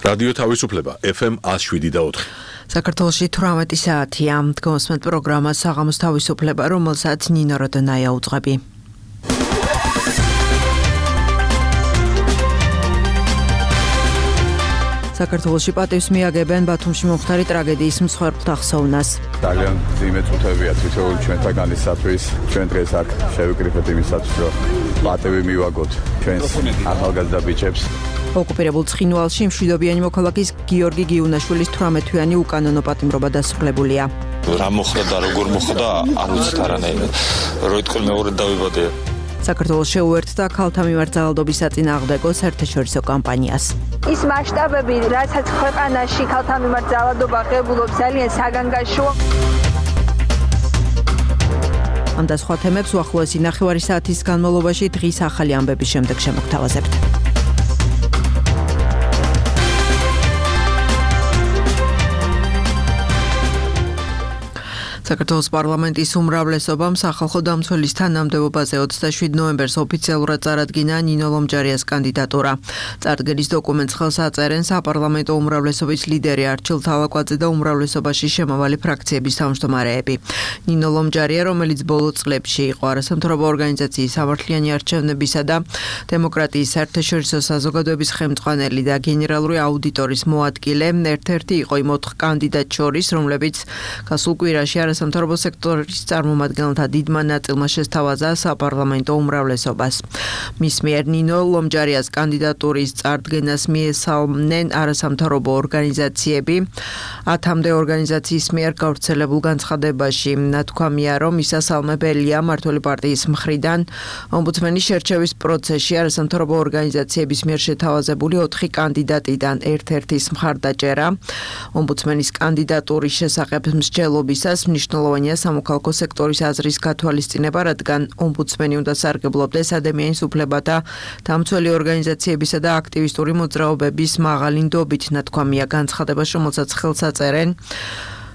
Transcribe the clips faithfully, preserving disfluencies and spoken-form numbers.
რადიო თავისუფლება ეფ ემ ათს შვიდი და ოთხი. საქართველოში თვრამეტი საათია. დგომსმენთ პროგრამა საღამოს თავისუფლება, რომელსაც ნინო როდონაია უძღვები. საქართველოში პატივს მიაგებენ ბათუმში მომხდარი ტრაგედიის მსხვერპლთა ხსოვნას. ძალიან ძიმე წუთებია თითოეული ჩვენთაგანისათვის. ჩვენ დღეს აქ შევიკრიფეთ იმისათვის, რომ პატივი მივაგოთ ჩვენს ახალგაზრდა ბიჭებს. ოკუპირებულ ცხინვალში მშვიდობიანი მოქალაქის გიორგი გიუნაშვილის თვრამეტთვიანი უკანონო პატიმრობა დასრულებულია. რა მოხდა და როგორ მოხდა, არ ვიცით არანაირად. რო იტყვი მეორედ დავიბადე. საქართველოს შეუერთდა ქალთა მიმართ ძალადობის საწინააღმდეგო საერთაშორისო კამპანიას. ის მასშტაბები, რასაც ქვეყანაში ქალთა მიმართ ძალადობა ღებულობს, ძალიან საგანგაშოა. ამ და სხვა თემებს უახლოესი ნახევარი საათის განმავლობაში დღის ახალი ამბების შემდეგ შემოგთავაზებთ. საქართველოს პარლამენტის უმრავლესობამ სახალხო დამცველის თანამდებობაზე ოცდაშვიდ ნოემბერს ოფიციალურად წარადგინა ნინო ლომჯარიას კანდიდატურა. წარდგენის დოკუმენტს ხელს აწერენ საპარლამენტო უმრავლესობის ლიდერი არჩილ თავაკვაძე და უმრავლესობაში შემავალი ფრაქციების თავმჯდომარეები. ნინო ლომჯარია, რომელიც ბოლო წლებში იყო არასამთავრობო ორგანიზაციის სამართლიანი არჩევნებისა და დემოკრატიის საერთაშორისო საზოგადოების ხელმძღვანელი და გენერალური აუდიტორის მოადგილე, ერთ-ერთი იყო იმ ოთხ კანდიდატ შორის, რომლებიც გასულ კვირაში სამთავრობო სექტორის წარმომადგენელთა დიდმა ნაწილმა შესთავაზა საპარლამენტო უმრავლესობას. მის მიერ ნინო ლომჯარიას კანდიდატურის წარდგენას მიესალმნენ არასამთავრობო ორგანიზაციები. ათამდე ორგანიზაციის მიერ გავრცელებულ განცხადებაში ნათქვამია, რომ მისასალმებელია მმართველი პარტიის მხრიდან ომბუდსმენის შერჩევის პროცესში არასამთავრობო ორგანიზაციების მიერ შეთავაზებული ოთხი კანდიდატიდან ერთ-ერთის მხარდაჭერა. ომბუდსმენის კანდიდატურის შესახებ მსჯელობისას მნიშვნელოვანია სამოქალაქო სექტორის აზრის გათვალისწინება, რადგან ომბუდსმენი უნდა სარგებლობდეს ადამიანის უფლებათა დამცველი ორგანიზაციებისა და აქტივისტური მოძრაობების მაღალი ნდობით, ნათქვამია განცხადებაში, რომელსაც ხელს აწერენ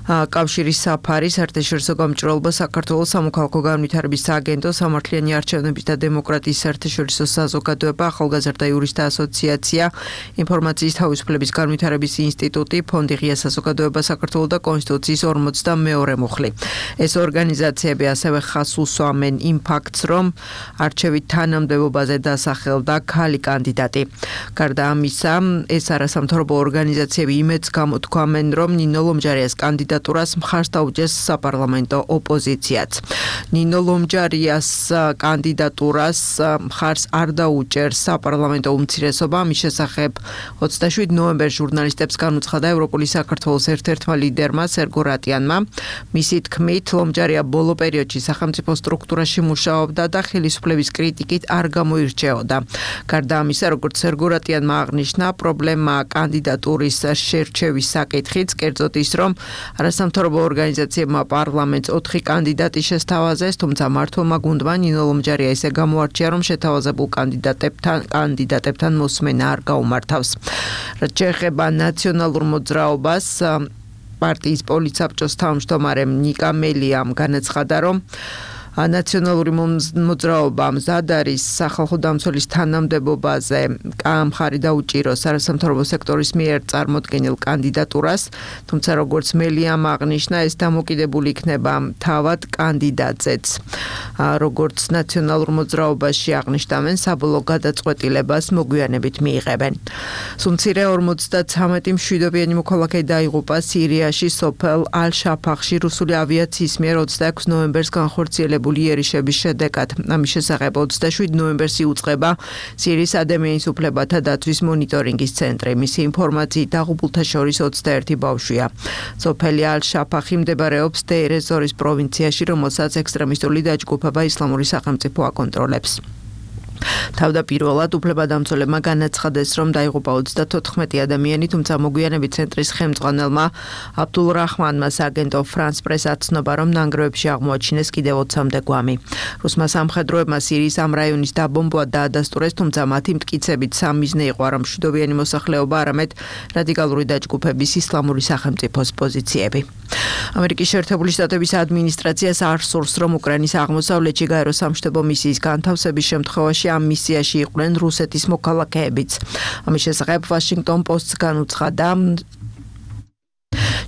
კავშირის საფარი, საერთაშორისო გამჭრელობა, საქართველოს სამოქალაქო განვითარების სააგენტო, სამართლიანი არჩევნების და დემოკრატიის საერთაშორისო საზოგადოება, ახალგაზრდა იურისტთა ასოციაცია, ინფორმაციის თავისუფლების განვითარების ინსტიტუტი, ფონდი ღია საზოგადოება საქართველოს და კონსტიტუციის ორმოცდამეორე მუხლი. ეს ორგანიზაციები ასევე ხაზს უსვამენ იმ ფაქტს, რომ არჩევით თანამდებობაზე დასახელდა ქალი კანდიდატი. გარდა ამისა, ეს არასამთავრობო ორგანიზაციები იმედს გამოთქვამენ, რომ ნინო ლომჯარიას კანდიდატი მხარს დაუჭერს საპარლამენტო ოპოზიციაც. ნინო ლომჯარიას კანდიდატურას მხარს არ დაუჭერს საპარლამენტო უმცირესობა. მის შესახებ ოცდაშვიდ ნოემბერს ჟურნალისტებს განუცხადა ევროპული საქართველოს ერთ-ერთმა ლიდერმა სერგო რატიანმა. მისი თქმით, ლომჯარია ბოლო პერიოდში სახელმწიფო სტრუქტურაში მუშაობდა და ხელისუფლების კრიტიკით არ გამოირჩეოდა. გარდა ამისა, როგორც სერგო რატიანმა აღნიშნა, პრობლემა კანდიდატურის შერჩევის საკითხიც, კერძოდ ის, რომ არასამთავრობო ორგანიზაციებმა პარლამენტს ოთხი კანდიდატი შესთავაზეს, თუმცა მმართველმა გუნდმა ნინო ლომჯარია ისე გამოარჩია, რომ შეთავაზებულ კანდიდატებთან კანდიდატებთან მოსმენა არ გაუმართავს. რაც შეეხება ნაციონალურ მოძრაობას, პარტიის პოლიტსაბჭოს თავმჯდომარე ნიკა მელიამ განაცხადა, რომ ნაციონალური მოძრაობა მზად არის სახალხო დამცველის თანამდებობაზე მხარი დაუჭიროს არასამთავრობო სექტორის მიერ წარმოდგენილ კანდიდატურას, თუმცა როგორც მელიამ აღნიშნა, ეს დამოკიდებული იქნება თავად კანდიდატზეც. როგორც ნაციონალურ მოძრაობაში აღნიშნავენ, საბოლოო გადაწყვეტილებას მოგვიანებით მიიღებენ. სუმცირე ორმოცდაცამეტი მშვიდობიანი მოქალაქე დაიღუპა სირიაში სოფელ ალ-შაფახში რუსული ავიაციის მიერ ოცდაექვსი ნოემბერს განხორციელებული იერიშების შედეგად. ამის შესახებ ოცდაშვიდ ნოემბერს იუწყება სირიის ადამიანის უფლებათა დაცვის მონიტორინგის ცენტრი. მისი ინფორმაციით დაღუპულთა შორის ოცდაერთი ბავშვია. სოფელი ალ-შაფახი მდებარეობს დეირ-ეს-ზორის პროვინციაში, რომელსაც ექსტრემისტული დაჯგუფება ისლამური სახელმწიფო აკონტროლებს. თავდაპირველად უფლებადამცველებმა განაცხადეს, რომ დაიღუპა ოცდათოთხმეტი ადამიანი, თუმცა მოგვიანებით ცენტრის ხელმძღვანელმა აბდულ რაჰმანმა სააგენტო ფრანს პრესს აცნობა, რომ ნანგრევებში აღმოაჩინეს კიდევ ოცამდე გვამი. რუსმა სამხედროებმა სირიის ამ რაიონის დაბომბვა დაადასტურეს, თუმცა მათი მტკიცებით სამიზნე იყო არა მშვიდობიანი მოსახლეობა, არამედ რადიკალური დაჯგუფების ისლამური სახელმწიფოს პოზიციები. ამერიკის შეერთებული შტატების ადმინისტრაციას არ სურს, რომ უკრაინის აღმოსავლეთში გაერო სამშვიდობო მისიის განთავსების შემთხვევაში ამ მისიაში იყვნენ რუსეთის მოქალაქეებიც. ამის შესახებ Washington Post-ს განუცხადა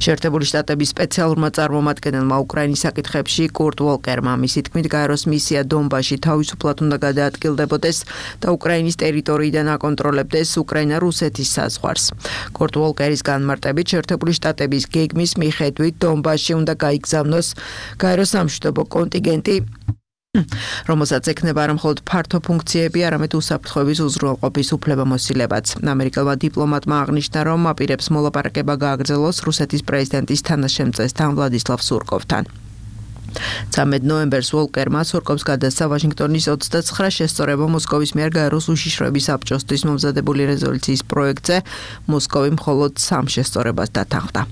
შეერთებული შტატების სპეციალურმა წარმომადგენელმა უკრაინის საკითხებში კურტ ვოლკერმა. მისი თქმით, გაეროს მისია დონბასში თავისუფლად უნდა გადაადგილდებოდეს და უკრაინის ტერიტორიიდან აკონტროლებდეს უკრაინა-რუსეთის საზღვარს. კურტ ვოლკერის განმარტებით, შეერთებული შტატების გეგმის მიხედვით დონბასში უნდა გაიგზავნოს გაეროს სამშვიდობო კონტინგენტი, რომელსაც ექნება არა მხოლოდ ფართო ფუნქციები, არამედ უსაფრთხოების უზრუნველყოფის უფლებამოსილებაც. ამერიკელმა დიპლომატმა აღნიშნა, რომ აპირებს მოლაპარაკება გააგრძელოს რუსეთის პრეზიდენტის თანაშემწესთან ვლადისლავ სურკოვთან. ცამეტ ნოემბერს ვოლკერმა სურკოვს გადასცა ვაშინგტონის ოცდაცხრა შესწორება მოსკოვის მიერ გაეროს უშიშროების საბჭოსთვის მომზადებული რეზოლუციის პროექტზე. მოსკოვი მხოლოდ სამ შესწორებას დათანხმდა.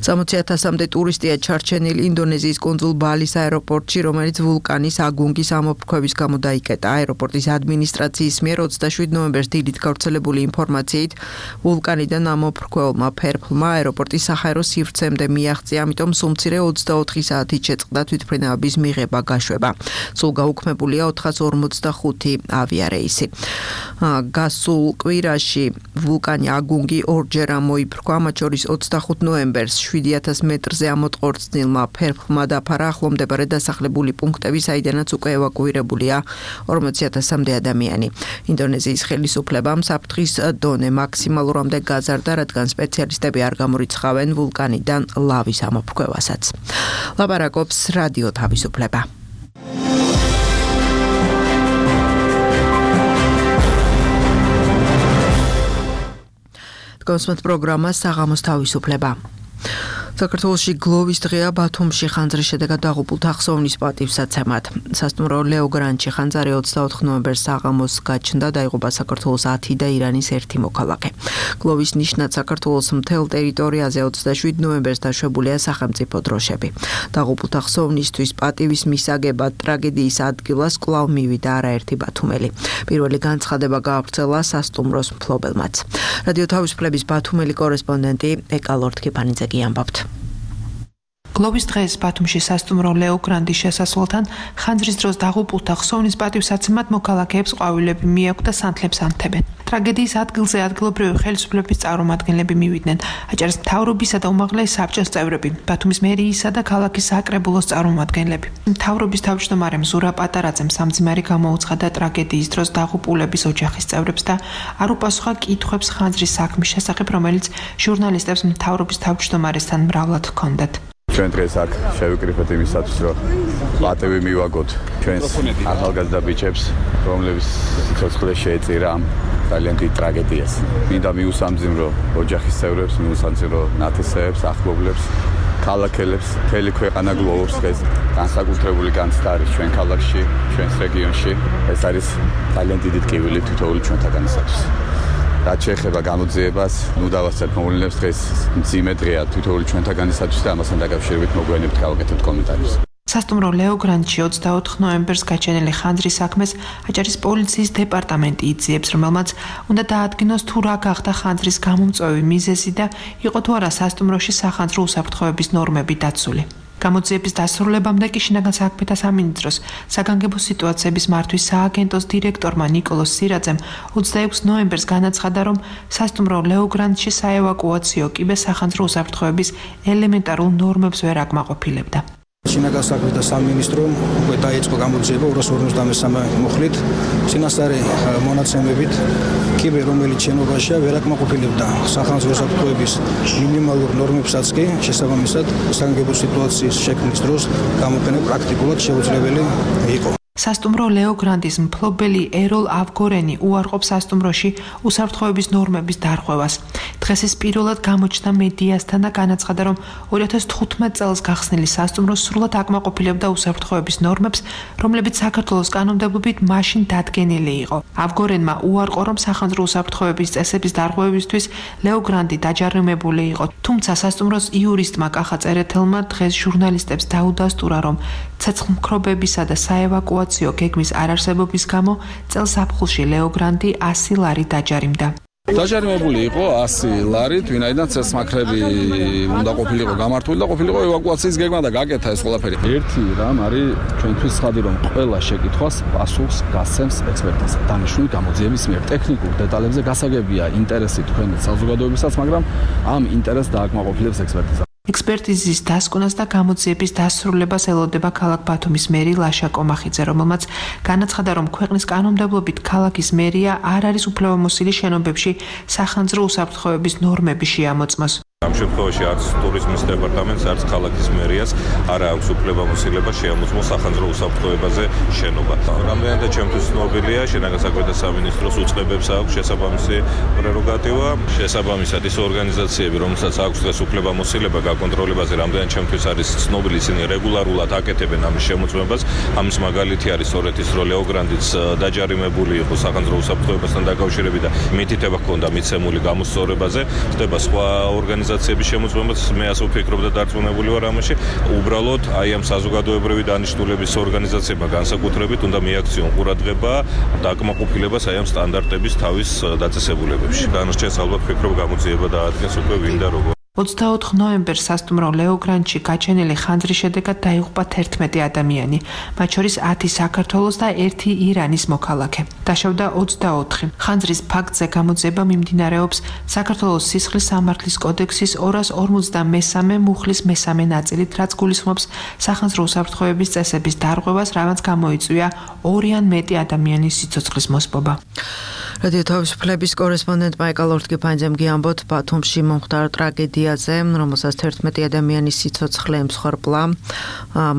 სამოცი ათასამდე ტურისტია ჩარჩენილი ინდონეზიის კუნძულ ბალის აეროპორტში, რომელიც ვულკანის აგუნგის ამოფრქვევის გამო დაიკეტა. აეროპორტის ადმინისტრაციის მიერ ოცდაშვიდ ნოემბერს დილით გავრცელებული ინფორმაციით ვულკანიდან ამოფრქვეულმა ფერფლმა აეროპორტის საჰაერო სივრცემდე მიაღწია, ამიტომ სულ მცირე ოცდაოთხი საათით შეწყდა თვითმფრინავების მიღება გაშვება. სულ გაუქმებულია ოთხას ორმოცდახუთი ავიარეისი. გასულ კვირაში ვულკანი აგუნგი ორჯერ ამოიფრქვა, მათ შორის ოცდახუთ ნოემბერს შვიდი ათას მეტრზე ამოწყორწნილმა ფერფლმა დაფარა ახლომდებარე დასახლებული პუნქტები, საიდანაც უკვე ევაკუირებულია ორმოცი ათასამდე ადამიანი. ინდონეზიის ხელისუფლებამ საფრთხის დონე მაქსიმალურამდე გაზარდა, რადგან სპეციალისტები არ გამორიცხავენ ვულკანიდან ლავის ამოფრქვევასაც. ლაპარაკობს რადიო თავისუფლება. დგომსმოთ პროგრამა საღამოს თავისუფლება. საქართველოში გლოვის დღეა ბათუმში ხანძრის შედეგად დაღუპულთა ხსოვნის პატივსაცემად. სასტუმრო ლეო გრანჩი ხანძარი ოცდაოთხ ნოემბერს საღამოს გაჩნდა, დაიღუპა საქართველოს ათი და ირანის ერთი მოქალაქე. გლოვის ნიშნად საქართველოს მთელ ტერიტორიაზე ოცდაშვიდ ნოემბერს დაშვებულია სახელმწიფო დროშები. დაღუპულთა ხსოვნისთვის პატივის მისაგებად ტრაგედიის ადგილას კვლავ მივიდა არაერთი ბათუმელი. პირველი განცხადება გაავრცელა სასტუმროს მფლობელმაც. რადიო თავისუფლების ბათუმელი კორესპონდენტი ეკა ლორთქიფანიძე ამბობთ. გლოვის დღეს ბათუმში სასტუმრო ლეო გრანდის შესასვლელთან ხანძრის დროს დაღუპულთა ხსოვნის პატივსაცემად მოქალაქეებს ყვავილები მიაქვთ და სანთლებს ანთებენ. ტრაგედიის ადგილზე ადგილობრივი ხელისუფლების წარმომადგენლები მივიდნენ. აჭარის მთავრობისა და უმაღლესი საბჭოს წევრები, ბათუმის მერიისა და ქალაქის საკრებულოს წარმომადგენლები. მთავრობის თავმჯდომარე მზურა პატარაძემ სამძიმარი გამოუცხადა ტრაგედიის დროს დაღუპულების ოჯახის წევრებს და არ უპასუხა კითხვებს ხანძრის საქმის შესახებ, რომელიც ჟურნალისტებს მთავრობის თავმჯდომარესთან მრავლად ჰქონდათ. ჩვენ დღეს აქ შევიკრიფეთ იმისათვის, რომ პატივი მივაგოთ ჩვენს ახალგაზრდა ბიჭებს, რომლებიც სიცოცხლე შეეწირა ამ ძალიან დიდ ტრაგედიას. მინდა მიუსამძიმრო ოჯახის წევრებს, მიუსამძიმრო ნათესავებს, ახლობლებს, ქალაქელებს, მთელი ქვეყანა გლოვობს დღეს. განსაკუთრებული განცდა არის ჩვენ ქალაქში, ჩვენს რეგიონში. ეს არის ძალიან დიდი ტკივილი თითოეული ჩვენთაგანისათვის. რაც შეეხება გამოძიებას, ნუ დავასწრებ მოვლენებს, დღეს მძიმე დღეა თითოეული ჩვენთაგანისათვის და ამასთან დაკავშირებით მოგვიანებით გავაკეთებთ კომენტარებს. სასტუმრო ლეო გრანჩი ოცდაოთხ ნოემბერს გაჩენილი ხანძრის საქმეს აჭარის პოლიციის დეპარტამენტი იძიებს, რომელმაც უნდა დაადგინოს თუ რა გახდა ხანძრის გამომწვევი მიზეზი და იყო თუ არა სასტუმროში სახანძრო უსაფრთხოების ნორმები დაცული. გამოძიების დასრულებამდე კი შინაგან საქმეთა სამინისტროს საგანგებო სიტუაციების მართვის სააგენტოს დირექტორმა ნიკოლოზ სირაძემ ოცდაექვსი ნოემბერს განაცხადა, რომ სასტუმრო ლეო გრანჩი საევაკუაციო კიბე სახანძრო უსაფრთხოების ელემენტარულ ნორმებს ვერ აკმაყოფილებდა. შინაგან საქმეთა სამინისტრომ უკვე დაიწყო გამოძიება ორას ორმოცდამესამე მუხლით წინასწარი მონაცემებით კიბე, რომელიც შენობაშია, ვერ აკმაყოფილებდა სახანძრო უსაფრთხოების მინიმალურ ნორმებსაც კი შესაბამისად საგანგებო სიტუაციის შექმნის დროს გამოყენება პრაქტიკულად შეუძლებელი იყო. სასტუმრო ლეო გრანდის მფლობელი ეროლ ავგორენი უარყოფს სასტუმროში უსაფრთხოების ნორმების დარღვევას. დღეს ეს პირველად გამოჩნდა მედიასთან და განაცხადა, რომ ორი ათას თხუთმეტ წელს გახსნილი სასტუმრო სრულად აკმაყოფილებდა უსაფრთხოების ნორმებს, რომლებიც საქართველოს კანონმდებლობით მაშინ დადგენილი იყო. ავგორენმა უარყო, რომ სახანძრო უსაფრთხოების წესების დარღვევისთვის ლეო გრანდი დაჯარიმებული იყო. თუმცა სასტუმროს იურისტმა კახა წერეთელმა დღეს ჟურნალისტებს დაუდასტურა, რომ ცეცხლმქრობებისა და საევაკუაციო გეგმის არარსებობის გამო წელს აფხულში ლეო გრანდი ასი ლარი დაჯარიმდა. დაჯარიმებული იყო ასი ლარით, ვინაიდან ცეცხლმაქრები უნდა ყოფილიყო გამართული და ყოფილიყო ევაკუაციის გეგმა და გაკეთა ეს ყველაფერი. ერთი რამ არის ჩვენთვის ცხადი, რომ ყველა შეკითხვას პასუხს გასცემს ექსპერტიზა. დანიშნული გამოძიების მიერ ტექნიკურ დეტალებზე გასაგებია ინტერესი თქვენ საზოგადოებისაც, მაგრამ ამ ინტერესს დააკმაყოფილებს ექსპერტიზა. ექსპერტიზის დასკვნას და გამოძიების დასრულებას ელოდება ქალაქ ბათუმის მერი ლაშა კომახიძე, რომელმაც განაცხადა, რომ ქვეყნის კანონმდებლობით ქალაქის მერია არ არის უფლებამოსილი შენობებში სახანძრო უსაფრთხოების ნორმები შეამოწმოს. ამ შემთხვევაში არც ტურიზმის დეპარტამენტს, არც ქალაქის მერიას არ აქვს უფლებამოსილება შეამოწმოს სახანძრო უსაფრთხოებაზე შენობა. რამდენადაც ჩემთვის ცნობილია, შინაგან საქმეთა სამინისტროს უწყებებს აქვს შესაბამისი პრეროგატივა. შესაბამისად ის ორგანიზაციები, რომელსაც აქვს დღეს უფლებამოსილება გაკონტროლებაზე, რამდენად ჩემთვის არის ცნობილი, ისინი რეგულარულად აკეთებენ ამის შემოწმებას. ამის მაგალითი არის სწორედ ის, რომ ლეოგრანდიც დაჯარიმებული იყო სახანძრო უსაფრთხოებასთან დაკავშირებით და მითითება ჰქონდა მიცემული გამოსწორებაზე. ხდება სხვა ორგანიზაციები შემოწმებაც, მე ასე ვფიქრობ და დარწმუნებული ვარ ამაში. უბრალოდ აი ამ საზოგადოებრივი დანიშნულების ორგანიზაციებმა განსაკუთრებით უნდა მიაქციონ ყურადღება და აკმაყოფილებას აი ამ სტანდარტების თავის დაწესებულებებში. დანარჩენს ალბათ ვფიქრობ გამოძიება დაადგენს უკვე ვინ და როგორ. ოცდაოთხ ნოემბერს სასტუმრო ლეოგრანდში გაჩენილი ხანძრის შედეგად დაიღუპა თერთმეტი ადამიანი, მათ შორის ათი საქართველოს და ერთი ირანის მოქალაქე. დაშავდა ოცდაოთხი. ხანძრის ფაქტზე გამოძიება მიმდინარეობს საქართველოს სისხლის სამართლის კოდექსის ორას ორმოცდამესამე მუხლის მესამე ნაწილით, რაც გულისხმობს სახანძრო უსაფრთხოების წესების დარღვევას, რამაც გამოიწვია ორი ან მეტი ადამიანის სიცოცხლის მოსპობა. რადიო თავისუფლების კორესპონდენტ მაიკალ ორთგიფანიძემ გიამბოთ ბათუმში მომხდარ ტრაგედიაზე, რომელსაც თერთმეტი ადამიანის სიცოცხლე ემსხვერპლა.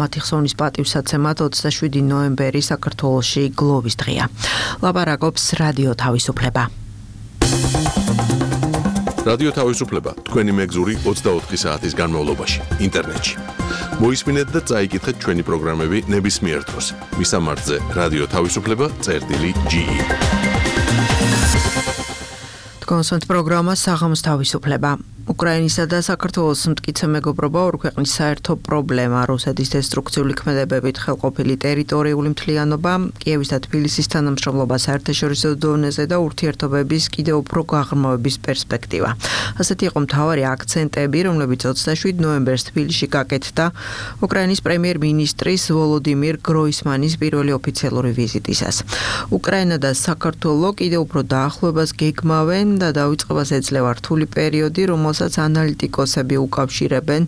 მათი ხსოვნის პატივსაცემად ოცდაშვიდი ნოემბერი საქართველოში გლოვის დღეა. ლაპარაკობს რადიო თავისუფლება. რადიო თავისუფლება თქვენი მეგზური ოცდაოთხი საათის განმავლობაში ინტერნეტში. მოისმინეთ და წაიკითხეთ ჩვენი პროგრამები ნებისმიერ დროს. მისამართზე რადიო თავისუფლება წერტილი ჯი ი. კონსონტ პროგრამა საღამოს თავისუფლება. უკრაინისა და საქართველოს მტკიცე მეგობრობა ორ ქვეყნის საერთო პრობლემა, რუსეთის დესტრუქციული ქმედებებით ხელყოფილი ტერიტორიული მთლიანობა, კიევის და თბილისის თანამშრომლობა საერთაშორისო დონეზე და ურთიერთობების კიდევ უფრო გაღრმავების პერსპექტივა. ასეთი იყო მთავარი აქცენტები, რომლებიც ოცდაშვიდ ნოემბერს თბილისში გაკეთდა უკრაინის პრემიერ-მინისტრის ვოლოდიმირ გროისმანის პირველი ოფიციალური ვიზიტისას. უკრაინა და საქართველო კიდევ უფრო დაახლოებას გეგმავენ და დაიწყებას ეძლევა რთული პერიოდი, რომელსაც ანალიტიკოსები უკავშირებენ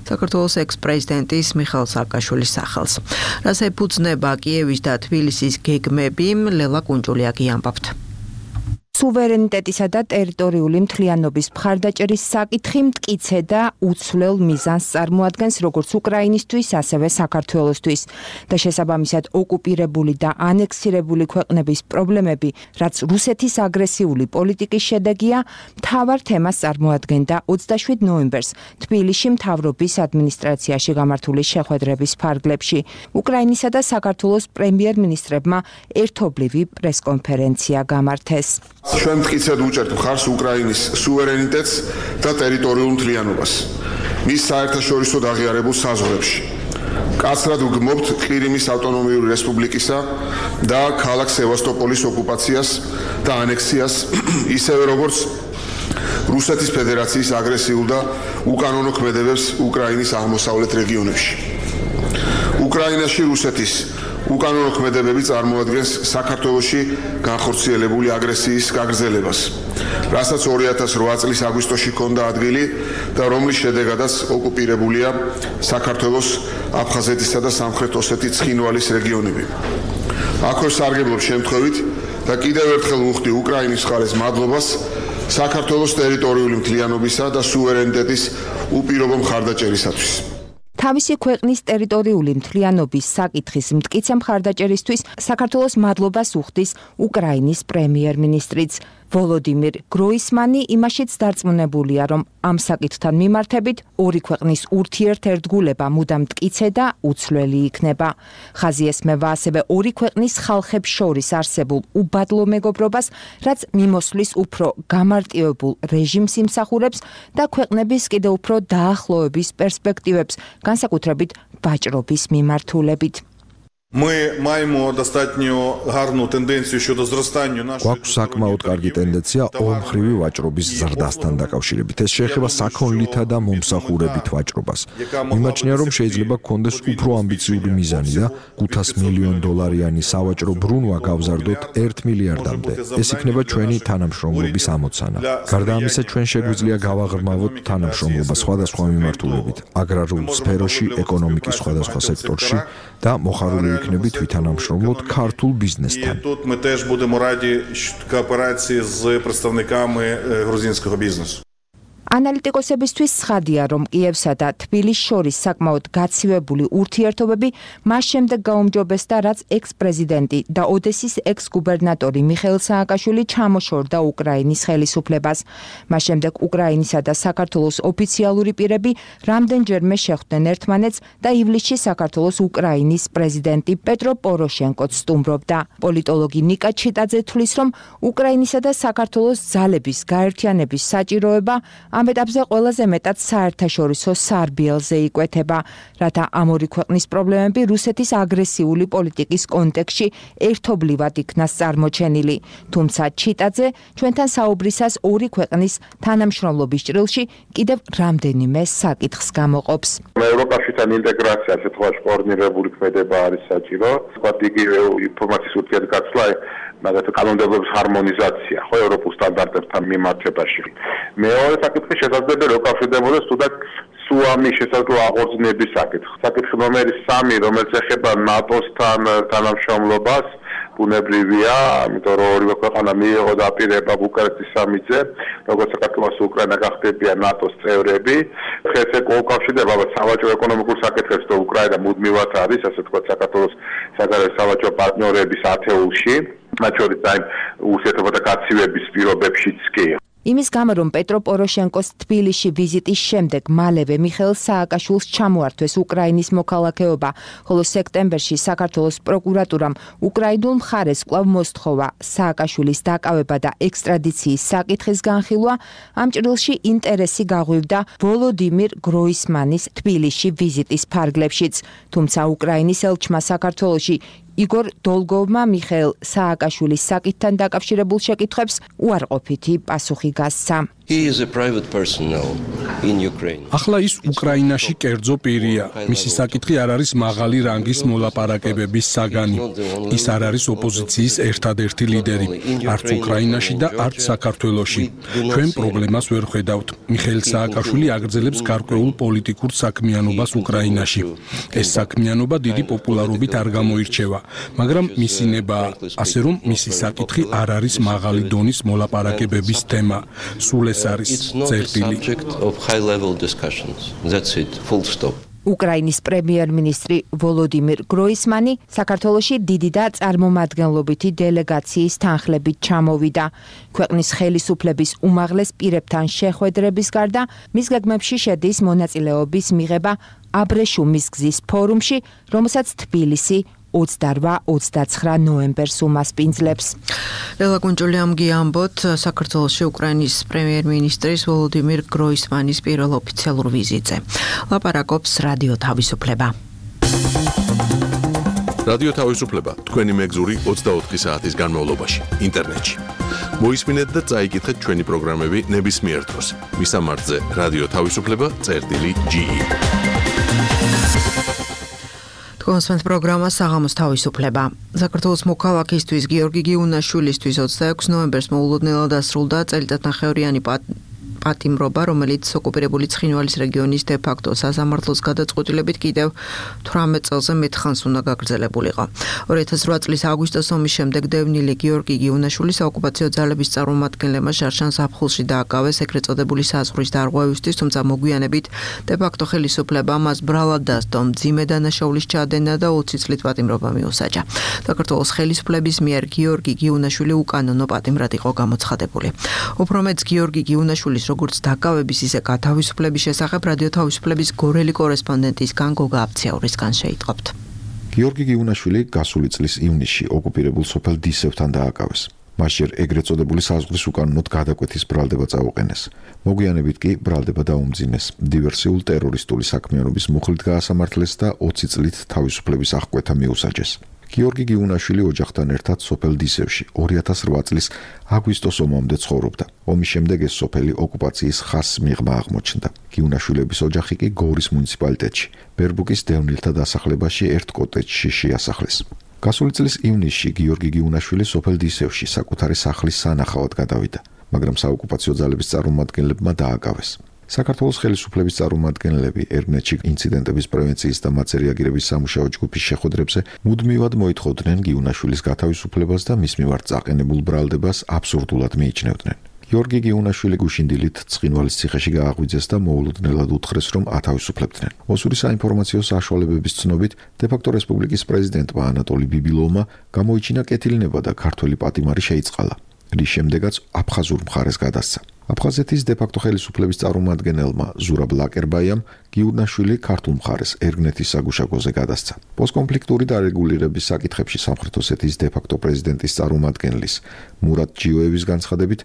საქართველოს ექს-პრეზიდენტის მიხაილ სააკაშვილის სახელს. რას ეფუძნება კიევის და თბილისის გეგმები, ლელა კუნჭულიაკი ამბობთ. სუვერენიტეტისა და ტერიტორიული მთლიანობის მხარდაჭერის საკითხი მტკიცე და უცვლელ მიზანს წარმოადგენს როგორც უკრაინისთვის, ასევე საქართველოსთვის და შესაბამისად ოკუპირებული და ანექსირებული ქვეყნების პრობლემები, რაც რუსეთის აგრესიული პოლიტიკის შედეგია, მთავარ თემას წარმოადგენდა ოცდაშვიდ ნოემბერს თბილისში მთავრობის ადმინისტრაციაში გამართული შეხვედრების ფარგლებში. უკრაინისა და საქართველოს პრემიერ-მინისტრებმა ერთობლივი პრესკონფერენცია გამართეს. ჩვენ მტკიცედ უჭერთ მხარს უკრაინის სუვერენიტეტს და ტერიტორიულ მთლიანობას მის საერთაშორისო აღიარებულ საზღვრებში. კაცრად ვგმობთ ყირიმის ავტონომიური რესპუბლიკისა და ქალაქ სევასტოპოლის ოკუპაციას და ანექსიას, ისევე როგორც რუსეთის ფედერაციის აგრესიულ და უკანონო ქმედებებს უკრაინის აღმოსავლეთ რეგიონებში. უკრაინაში რუსეთის უკანონო ქმედებები წარმოადგენს საქართველოში განხორციელებული აგრესიის გაგრძელებას, რასაც ორი ათას რვა წლის აგვისტოში ჰქონდა ადგილი და რომლის შედეგადაც ოკუპირებულია საქართველოს აფხაზეთისა და სამხრეთ ოსეთის ცხინვალის რეგიონები. აქვე სარგებლობს შემთხვევით და კიდევ ერთხელ ვუხდი უკრაინის მხარეს მადლობას საქართველოს ტერიტორიული მთლიანობისა და სუვერენიტეტის უპირობო მხარდაჭერისათვის. თავისი ქვეყნის ტერიტორიული მთლიანობის საკითხის მტკიცე მხარდაჭერისთვის საქართველოს მადლობას უხდის უკრაინის პრემიერ-მინისტრიც. ვოლოდიმირ გროისმანი იმაშიც დარწმუნებულია, რომ ამ საკითხთან მიმართებით ორი ქვეყნის ურთიერთერთგულება მუდამ მტკიცე და უცვლელი იქნება. ხაზი ესმევა ასევე ორი ქვეყნის ხალხებს შორის არსებულ უბადლო მეგობრობას, რაც მიმოსვლის უფრო გამარტივებულ რეჟიმს იმსახურებს და ქვეყნების კიდევ უფრო დაახლოების პერსპექტივებს, განსაკუთრებით ვაჭრობის მიმართულებით. Ми маємо достатньо гарну тенденцію щодо зростання нашої გვაქვს საკმაოდ კარგი ტენდენცია ორმხრივი ვაჭრობის ზრდასთან დაკავშირებით. ეს შეეხება საქონლითა და მომსახურებით ვაჭრობას. მიმაჩნია, რომ შეიძლება გქონდეს უფრო ამბიციური მიზანი და ხუთას მილიონ დოლარიანი სავაჭრო ბრუნვა გავზარდოთ ერთ მილიარდამდე. ეს იქნება ჩვენი თანამშრომლობის ამოცანა. გარდა ამისა, ჩვენ შეგვიძლია გავაღრმავოთ თანამშრომლობა სხვადასხვა მიმართულებით, აგრარულ სფეროში, ეკონომიკის სხვადასხვა სექტორში და მოხარული იქნებით ვითანამშრომლოთ ქართულ ბიზნესთან. Тут ми теж будемо раді кооперації з представниками грузинського бізнесу. ანალიტიკოსებისთვის ცხადია, რომ კიევსა და თბილისს შორის საკმაოდ გაცივებული ურთიერთობები მას შემდეგ გაუმჯობესდა, რაც ექს-პრეზიდენტი და ოდესის ექს-გუბერნატორი მიხეილ სააკაშვილი ჩამოშორდა უკრაინის ხელისუფლებას. მას შემდეგ უკრაინისა და საქართველოს ოფიციალური პირები რამდენჯერმე შეხვდნენ ერთმანეთს და ივლისში საქართველოს უკრაინის პრეზიდენტი პეტრო პოროშენკოც სტუმრობდა. პოლიტოლოგი ნიკა ჩიტაძე თვლის, რომ უკრაინისა და საქართველოს ძალების გაერთიანების საჭიროება ამ ეტაპზე ყველაზე მეტად საერთაშორისო სარბიელზე იკვეთება, რათა ამ ორი ქვეყნის პრობლემები რუსეთის აგრესიული პოლიტიკის კონტექსტში ერთობლივად იქნას წარმოჩენილი. თუმცა ჩიტაძე ჩვენთან საუბრისას ორი ქვეყნის თანამშრომლობის ჭრილში კიდევ რამდენიმე საკითხს გამოყოფს. ევროპაშთან ინტეგრაცია ასე თქვა კოორდინირებული ქმედება არის საჭირო. თქვა იგივე ინფორმაციის ურთიერთგაცვლა მაგათი კანონმდებლობის ჰარმონიზაცია ხო ევროპულ სტანდარტებთან მიმართებაში. მეორე საკითხი შესაძლებელი უკავშირდებოდეს თუნდაც სუამის შესაძლო აღორძინების საკითხი. საკითხი ნომერი სამი, რომელიც ეხება ნატოსთან თანამშრომლობას, ბუნებრივია, ამიტომ რომ ორივე ქვეყანა მიიღო დაპირება ბუკარესტის სამიტზე, როგორც საქართველოს უკრაინა გახდებიან ნატოს წევრები. ეს უკავშირდება სავაჭრო ეკონომიკურ საკითხებს და უკრაინა მუდმივად არის, ასე ვთქვათ, საქართველოს საგარეო სავაჭრო პარტნიორების ათეულში, მათ შორის აი ურთიერთობათა გაცივების პირობებშიც კი. იმის გამო, რომ პეტრო პოროშენკოს თბილისში ვიზიტის შემდეგ მალევე მიხეილ სააკაშვილს ჩამოართვეს უკრაინის მოქალაქეობა, ხოლო სექტემბერში საქართველოს პროკურატურამ უკრაინულ მხარეს კვლავ მოსთხოვა სააკაშვილის დაკავება და ექსტრადიციის საკითხის განხილვა, ამ ჭრილში ინტერესი გაღვივდა ვოლოდიმირ გროისმანის თბილისში ვიზიტის ფარგლებშიც, თუმცა უკრაინის ელჩმა საქართველოში იგორ დოლგოვმა მიხეილ სააკაშვილის საკითხთან დაკავშირებულ შეკითხვებს უარყოფითი პასუხი გასცა. ახლა ის უკრაინაში კერძო პირია. მისი საკითხი არ არის მაღალი რანგის მოლაპარაკებების საგანი. ის არ არის ოპოზიციის ერთადერთი ლიდერი, არც უკრაინაში და არც საქართველოში. ჩვენ პრობლემას ვერ ხედავთ. მიხეილ სააკაშვილი აგრძელებს გარკვეულ პოლიტიკურ საქმიანობას უკრაინაში. ეს საქმიანობა დიდი პოპულარობით არ გამოირჩევა, მაგრამ მისი ნება, ასე რომ მისი საკითხი არ არის მაღალი დონის მოლაპარაკებების თემა. სულ ეს არის წერტილი. უკრაინის პრემიერ-მინისტრი ვოლოდიმირ გროისმანი საქართველოში დიდი და წარმომადგენლობითი დელეგაციის თანხლებით ჩამოვიდა. ქვეყნის ხელისუფლების უმაღლეს პირებთან შეხვედრების გარდა მის გეგმებში შედის მონაწილეობის მიღება აბრეშუმის გზის ფორუმში, რომელსაც თბილისი ოცდარვა ოცდაცხრა ნოემბერს უმასპინძლებს. ლელა გუნჯულიამგი ამბოთ საქართველოში უკრაინის პრემიერ-მინისტრის ვოლოდიმირ გროისმანის პირველ ოფიციალურ ვიზიტზე. ლაპარაკობს რადიო თავისუფლება. რადიო თავისუფლება თქვენი მეგზური ოცდაოთხი საათის განმავლობაში ინტერნეტში. მოისმინეთ და წაიკითხეთ ჩვენი პროგრამები ნებისმიერ დროს. მისამართზე რადიო თავისუფლება წერტილი ჯი ი. კონსვენთ პროგრამა საღამოს თავისუფლება. საქართველოს მოქალაქისთვის გიორგი გიუნაშვილისთვის ოცდაექვსი ნოემბერს მოულოდნელად დასრულდა წელიწადნახევრიანი პატიმრობა, რომელიც ოკუპირებული ცხინვალის რეგიონის დე-ფაქტო სასამართლოს გადაწყვეტილებით კიდევ თვრამეტ წელზე მეტ ხანს უნდა გაგრძელებულიყო. ორი ათას რვა წლის აგვისტოს ომის შემდეგ დევნილი გიორგი გიუნაშვილი საოკუპაციო ძალების წარმომადგენლებმა შარშან ზაფხულში დააკავეს ეგრეთ წოდებული საზღვრის დარღვევისთვის, თუმცა მოგვიანებით დე-ფაქტო ხელისუფლება მას ბრალად დასდო, მძიმე დანაშაულის ჩადენა და ოცი წლით პატიმრობა მიუსაჯა. საქართველოს ხელისუფლების მიერ გიორგი გიუნაშვილი უკანონო პატიმრად იყო გამოცხადებული. უფრო მეც გიორგი გიუნაშვილის როგორც დაკავების, ისე გათავისუფლების შესახებ რადიო თავისუფლების გორელი კორესპონდენტისგან გოგა აფციაურისგან შეიტყობთ. გიორგი გიუნაშვილი გასული წლის ივნისში ოკუპირებულ სოფელ დისევთან დააკავეს. მასჯერ ეგრეთ წოდებული საზღვრის უკანონოდ გადაკვეთის ბრალდება წაუყენეს. მოგვიანებით კი ბრალდება დაუმძიმეს, დივერსიულ ტერორისტული საქმიანობის მუხლით გაასამართლეს და ოცი წლით თავისუფლების აღკვეთა მიუსაჯეს. გიორგი გიუნაშვილი ოჯახთან ერთად სოფელ დისევში ორი ათას რვა წლის აგვისტოს ომამდე ცხოვრობდა. ომის შემდეგ ეს სოფელი ოკუპაციის ხაზს მიღმა აღმოჩნდა. გიუნაშვილების ოჯახი კი გორის მუნიციპალიტეტში, ბერბუკის დევნილთა დასახლებაში ერთ კოტეჯში შეასახლეს. გასული წლის ივნისში გიორგი გიუნაშვილი სოფელ დისევში საკუთარი სახლის სანახავად გადავიდა, მაგრამ საოკუპაციო ძალების წარმომადგენლებმა დააკავეს. საქართველოს ხელისუფლების წარმომადგენლები ერგნეთში ინციდენტების პრევენციის და მათზე რეაგირების სამუშაო ჯგუფის შეხვედრებზე მუდმივად მოითხოვდნენ გიუნაშვილის გათავისუფლებას და მის მიმართ წაყენებულ ბრალდებას აბსურდულად მიიჩნევდნენ. გიორგი გიუნაშვილი გუშინდილით ცხინვალის ციხეში გააღვიძეს და მოულოდნელად უთხრეს, რომ ათავისუფლებდნენ. ოსური საინფორმაციო საშუალებების ცნობით, დე-ფაქტო რესპუბლიკის პრეზიდენტმა ანატოლი ბიბილოვმა გამოიჩინა კეთილნება და ქართველი პატიმარი შეიწყალა, რის შემდეგაც აფხაზურ მხარეს გადასცა. აფხაზეთის დე-ფაქტო ხელისუფლების წარმომადგენელმა ზურაბ ლაკერბაიამ გიუნაშვილი ქართულ მხარეს ერგნეთის საგუშაგოზე გადასცა. პოსტკონფლიქტური დარეგულირების საკითხებში სამხრეთ ოსეთის დე-ფაქტო პრეზიდენტის წარმომადგენლის მურატ ჯიოევის განცხადებით,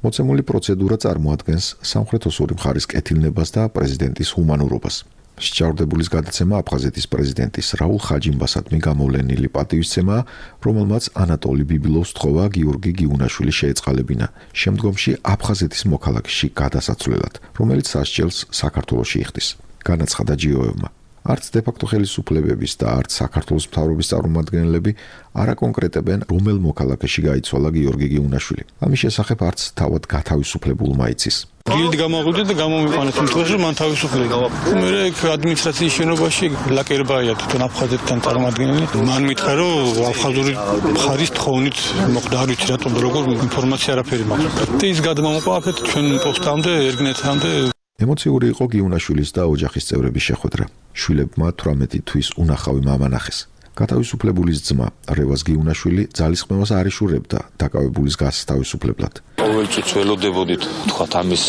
მოცემული პროცედურა წარმოადგენს სამხრეთ ოსური მხარის კეთილნებას და პრეზიდენტის ჰუმანურობას. შეჭაურდებულის გადაცემა აფხაზეთის პრეზიდენტის რაულ ხაჯიმბასადმი გამოვლენილი პატივისცემაა, რომელმაც ანატოლი ბიბილოვს თხოვა გიორგი გიუნაშვილი შეეწყალებინა შემდგომში აფხაზეთის მოქალაქეში გადასაცვლელად, რომელიც სასჯელს საქართველოში იხდის. განაცხადა ჯიოევმა. არც დე-ფაქტო ხელისუფლებების და არც საქართველოს მთავრობის წარმომადგენლები არ აკონკრეტებენ, რომელ მოქალაქეში გაიცვალა გიორგი გიუნაშვილი. ამის შესახებ არც თავად გათავისუფლებულმა იცის. დილით გამოვიდე და გამომიყვანეთ იმ დღეს, რომ მან თავისუფლება. მე ეგ ადმინისტრაციის შენობაში ლაკერბაია თვითონ აფხაზეთთან წარმომადგენელი. მან მითხრა, რომ აფხაზური მხარის თხოვნით მოხდა, არ ვიცი რატომ და როგორ ინფორმაცია არაფერი მაქვს. და ის გადმომოყვაფეთ ჩვენ პოსტამდე, ერგნეთამდე. ემოციური იყო გიუნაშვილის და ოჯახის წევრების შეხვედრა. შვილებმა თვრამეტი თვის უნახავი მამა ნახეს. გათავისუფლებულის ძმა რევაზ გიუნაშვილი ძალისხმევას არ იშურებდა დაკავებულის გასთავისუფლებლად. ყოველ წუთს ველოდებოდით, თქვათ ამის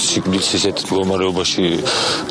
სიგნალს ისეთ მდგომარეობაში,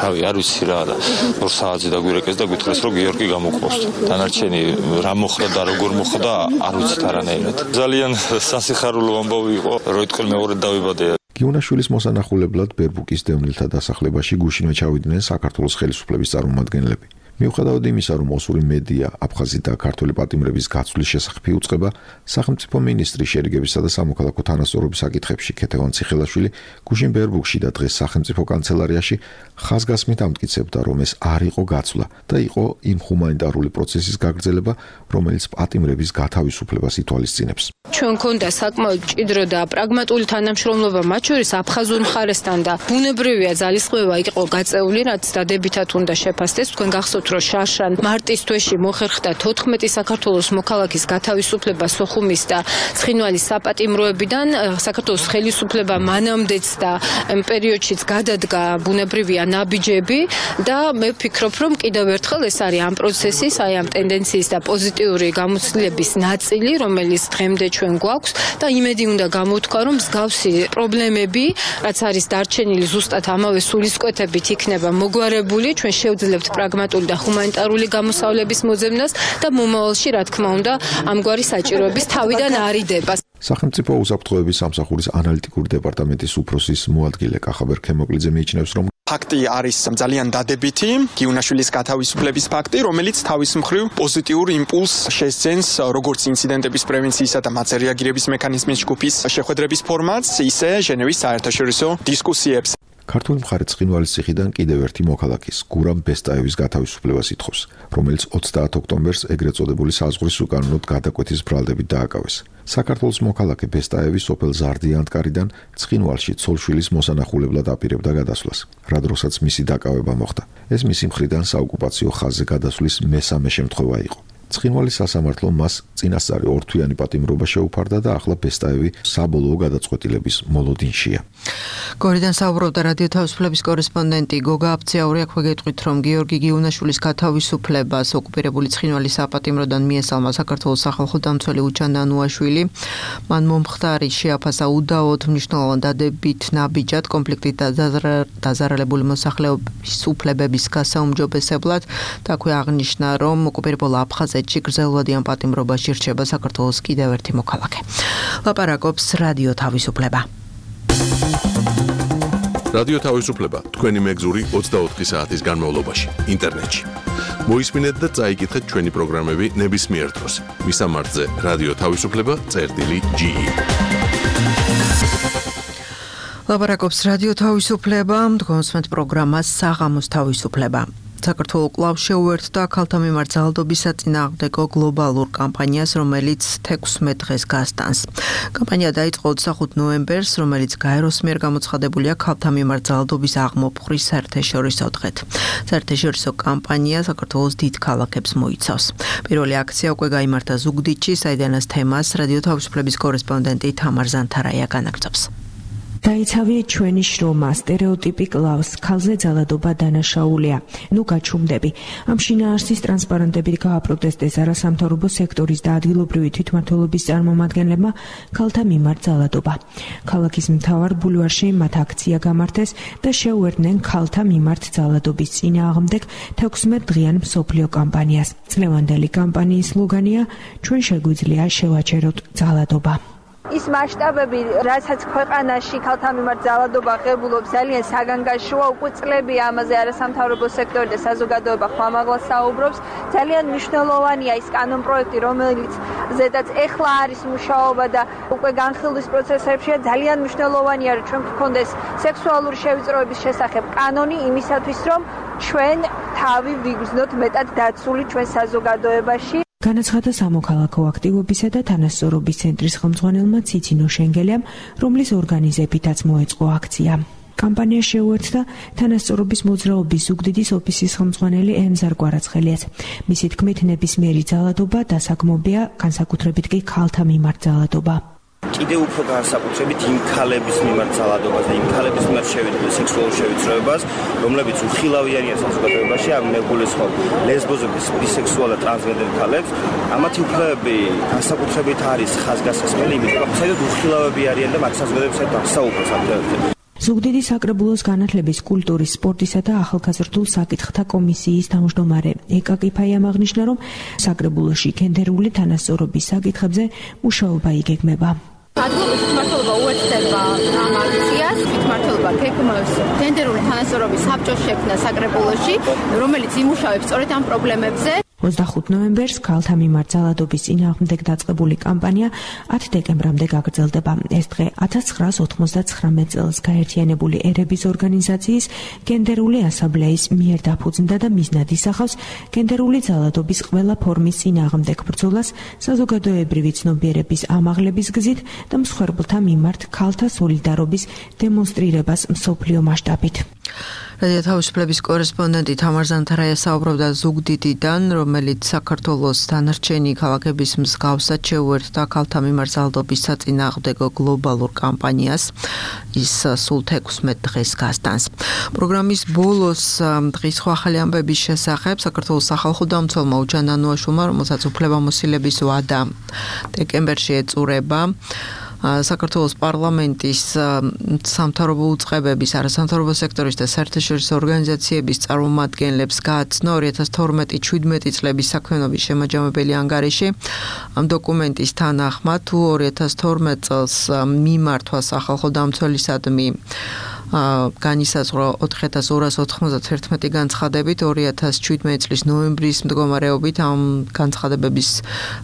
რავი, არ ვიცი რა და ორ საათზე დაგვირეკეს და გვითხრეს, რომ გიორგი გამოგყავს. დანარჩენი რა მოხდა და როგორ მოხდა, არ ვიცით არანაირად. ძალიან სასიხარულო ამბავი იყო, როიტყოლ მეორედ დავიბადე. გიუნაშვილის მოსანახულებლად ბერბუკის დევნილთა დასახლებაში გუშინვე ჩავიდნენ საქართველოს ხელისუფლების წარმომადგენლები. მიუხედავად იმისა, რომ ოსური მედია აფხაზი და ქართული პატიმრების გაცვლის შესახებ იუწყება, სახელმწიფო მინისტრი შერიგებისა და სამოქალაქო თანასწორობის საკითხებში ქეთევან ციხელაშვილი გუშინ ბერბუკში და დღეს სახელმწიფო კანცელარიაში ხაზგასმით ამტკიცებდა, რომ ეს არ იყო გაცვლა და იყო იმ ჰუმანიტარული პროცესის გაგრძელება, რომელიც პატიმრების გათავისუფლებას ითვალისწინებს. ჩვენ გქონდა საკმაოდ მჭიდრო და პრაგმატული თანამშრომლობა მათ შორის აფხაზურ მხარესთან და ბუნებრივია ძალისხმევა იყო გაწეული, რაც დადებითად უნდა შეფასდეს. თქვენ გახსოვთ, რომ შარშან მარტის თვეში მოხერხდა თოთხმეტი საქართველოს მოქალაქის გათავისუფლება სოხუმის და ცხინვალის საპატიმროებიდან. საქართველოს ხელისუფლება მანამდეც და ამ პერიოდშიც გადადგა ბუნებრივია ნაბიჯები და მე ვფიქრობ, რომ კიდევ ერთხელ ეს არის ამ პროცესის, აი ამ ტენდენციის და პოზიტიური გამოცდილების ნაწილი, რომელიც დღემდე ჩვენ გვაქვს და იმედი უნდა გამოვთქვა, რომ მსგავსი პრობლემები, რაც არის დარჩენილი ზუსტად ამავე სულისკვეთებით იქნება მოგვარებული. ჩვენ შევძლებთ პრაგმატული და ჰუმანიტარული გამოსავლების მოძებნას და მომავალში, რა თქმა უნდა, ამგვარი საჭიროების თავიდან არიდება. სახელმწიფო უსაფრთხოების სამსახურის ანალიტიკური დეპარტამენტის უფროსის მოადგილე კახაბერ ქემოკლიძე მიიჩნევს, რომ ფაქტი არის ძალიან დადებითი, გიუნაშვილის გათავისუფლების ფაქტი, რომელიც თავის მხრივ პოზიტიურ იმპულსს შესძენს როგორც ინციდენტების პრევენციისა და მათზე რეაგირების მექანიზმის ჯგუფის შეხვედრების ფორმატს, ისე ჟენევის საერთაშორისო დისკუსიებს. ქართული მხარე ცხინვალის ციხიდან კიდევ ერთი მოქალაქის, გურამ ბესტაევის გათავისუფლებას ითხოვს, რომელიც ოცდაათ ოქტომბერს ეგრეთ წოდებული საზღვრის უკანონოდ გადაკვეთის ბრალდებით დააკავეს. საქართველოს მოქალაქე ბესტაევი სოფელ ზარდიანტკარიდან ცხინვალში ცოლშვილის მოსანახულებლად აპირებდა გადასვლას, რა დროსაც მისი დაკავება მოხდა. ეს მისი მხრიდან საოკუპაციო ხაზზე გადასვლის მესამე შემთხვევა იყო. ცხინვალის სასამართლომ მას წინასწარი ორთვიანი პატიმრობა შეუფარდა და ახლა ბესტაევი საბოლოო გადაწყვეტილების მოლოდინშია. გორიდან საუბრობდა რადიო თავისუფლების კორესპონდენტი გოგა აფციაური. აქვე გეტყვით, რომ გიორგი გიუნაშვილის გათავისუფლებას ოკუპირებული ცხინვალის საპატიმროდან მიესალმა საქართველოს სახალხო დამცველი უჩან ნანუაშვილი. მან მომხდარი შეაფასა უდაოდ მნიშვნელოვან დადებით ნაბიჯად კონფლიქტით დაზარალებული მოსახლეობის უფლებების გასაუმჯობესებლად და აქვე აღნიშნა, რომ ოკუპირებულ აფხაზ tranzitში გრძელვადიან პატიმრობაში რჩება საქართველოს კიდევ ერთი მოქალაქე. ლაპარაკობს რადიო თავისუფლება. რადიო თავისუფლება თქვენი მეგზური ოცდაოთხი საათის განმავლობაში ინტერნეტში. მოისმინეთ და წაიკითხეთ ჩვენი პროგრამები ნებისმიერ დროს. მისამართზე რადიო თავისუფლება წერტილი ჯი ი. ლაპარაკობს რადიო თავისუფლება, მდგომსმენთ პროგრამას საღამოს თავისუფლება. საქართველოს კვლავ შეუერთდა ქალთა მიმართ ძალადობის საწინააღმდეგო გლობალურ კამპანიას, რომელიც თექვსმეტ დღეს გასტანს. კამპანია დაიწყო ოცდახუთ ნოემბერს, რომელიც გაეროს მიერ გამოცხადებულია ქალთა მიმართ ძალადობის აღმოფხვრის საერთაშორისო დღედ. საერთაშორისო კამპანია საქართველოს დიდ ქალაქებს მოიცავს. პირველი აქცია უკვე გაიმართა ზუგდიდში, საიდანაც თემას რადიო თავისუფლების კორესპონდენტი თამარ ზანთარაია განაგრძობს. დაიცავი ჩვენი შრომა, სტერეოტიპი კლავს, ქალზე ძალადობა დანაშაულია. ნუ გაჩუმდები. ამ შინაარსის ტრანსპარენტებით გააპროტესტეს არასამთავრობო სექტორის და ადგილობრივი თვითმმართველობის წარმომადგენლებმა ქალთა მიმართ ძალადობა. ქალაქის მთავარ ბულვარში მათ აქცია გამართეს და შეუერთდნენ ქალთა მიმართ ძალადობის წინააღმდეგ თექვსმეტ დღიან მსოფლიო კამპანიას. წლევანდელი კამპანიის სლოგანია ჩვენ შეგვიძლია შევაჩეროთ ძალადობა. ის მასშტაბები, რასაც ქვეყანაში ქალთა მიმართ ძალადობა ღებულობს, ძალიან საგანგაშოა, უკვე წლებია ამაზე არასამთავრობო სექტორი და საზოგადოება ხმამაღლა საუბრობს. ძალიან მნიშვნელოვანია ის კანონპროექტი, რომელიც ზედაც ეხლა არის მუშაობა და უკვე განხილვის პროცესებშია. ძალიან მნიშვნელოვანია, რომ ჩვენ გქონდეს სექსუალური შევიწროების შესახებ კანონი იმისათვის, რომ ჩვენ თავი ვიგრძნოთ მეტად დაცული ჩვენ საზოგადოებაში. განაცხადა სამოქალაქო აქტივობისა და თანასწორობის ცენტრის ხელმძღვანელმა ციცინო შენგელიამ, რომლის ორგანიზებითაც მოეწყო აქცია. კამპანია შეუერთდა თანასწორობის მოძრაობის ზუგდიდის ოფისის ხელმძღვანელი ემზარ კვარაცხელიას. მისი თქმით, ნებისმიერი ძალადობა დასაგმობია, განსაკუთრებით კი ქალთა მიმართ ძალადობა. კიდევ უფრო განსაკუთრებით იმ ქალების მიმართ ძალადობას და იმ ქალების მიმართ შევიდრე სექსუალურ შევიწროებას, რომლებიც უხილავიანია საზოგადოებაში, ამ მეგულისხმობ ლესბოზების, ბისექსუალ და ტრანსგენდერ ქალებს, ამათი უფლებები განსაკუთრებით არის ხაზგასმელი, იმიტომ რომ საერთოდ უხილავები არიან და მათ საზოგადოებასთან დასაუბროს ამ თემებზე. ზუგდიდის საკრებულოს განათლების, კულტურის, სპორტისა და ახალგაზრდულ საკითხთა კომისიის თავმჯდომარე ეკა კიფაიამ აღნიშნა, რომ საკრებულოში გენდერული თანასწორობის საკითხებზე მუშაობა იგეგმება. ადგილობრივი თვითმმართველობა უერთდება ამ აქციას, თვითმმართველობა გეგმავს გენდერული თანასწორობის საბჭოს შექმნა საკრებულოში, რომელიც იმუშავებს სწორედ ამ პრობლემებზე. ოცდახუთ ნოემბერს ქალთა მიმართ ძალადობის წინააღმდეგ დაწყებული კამპანია ათ დეკემბრამდე გაგრძელდება. ეს დღე ათას ცხრაას ოთხმოცდაცხრამეტ წელს გაერთიანებული ერების ორგანიზაციის გენდერული ასამბლეის მიერ დაფუძნდა და მიზნად ისახავს გენდერული ძალადობის ყველა ფორმის წინააღმდეგ ბრძოლას საზოგადოებრივი ცნობიერების ამაღლების გზით და მსხვერპლთა მიმართ ქალთა სოლიდარობის დემონსტრირებას მსოფლიო მასშტაბით. რადიო თავისუფლების კორესპონდენტი თამარ ზანთარაია საუბრობდა ზუგდიდიდან, რომელიც საქართველოს დანარჩენი ქალაქების მსგავსად შეუერთდა ქალთა მიმართ ძალადობის საწინააღმდეგო გლობალურ კამპანიას. ის სულ თექვსმეტ დღეს გასტანს. პროგრამის ბოლოს დღის სხვა ახალი ამბების შესახებ საქართველოს სახალხო დამცველმა უჯან ანუაშვილმა, რომელსაც უფლებამოსილების ვადა დეკემბერში ეწურება, საქართველოს პარლამენტის სამთავრობო უწყებების, არასამთავრობო სექტორის და საერთაშორისო ორგანიზაციების წარმომადგენლებს გააცნო ორი ათას თორმეტი შვიდმეტი წლების საქმიანობის შემაჯამებელი ანგარიში. ამ დოკუმენტის თანახმად, თუ ორი ათას თორმეტ წელს მიმართვა სახალხო დამცველისადმი განისაზღვრა ოთხი ათას ორას ოთხმოცდათერთმეტი განცხადებით, ორი ათას შვიდმეტი წლის ნოემბრის მდგომარეობით ამ განცხადებების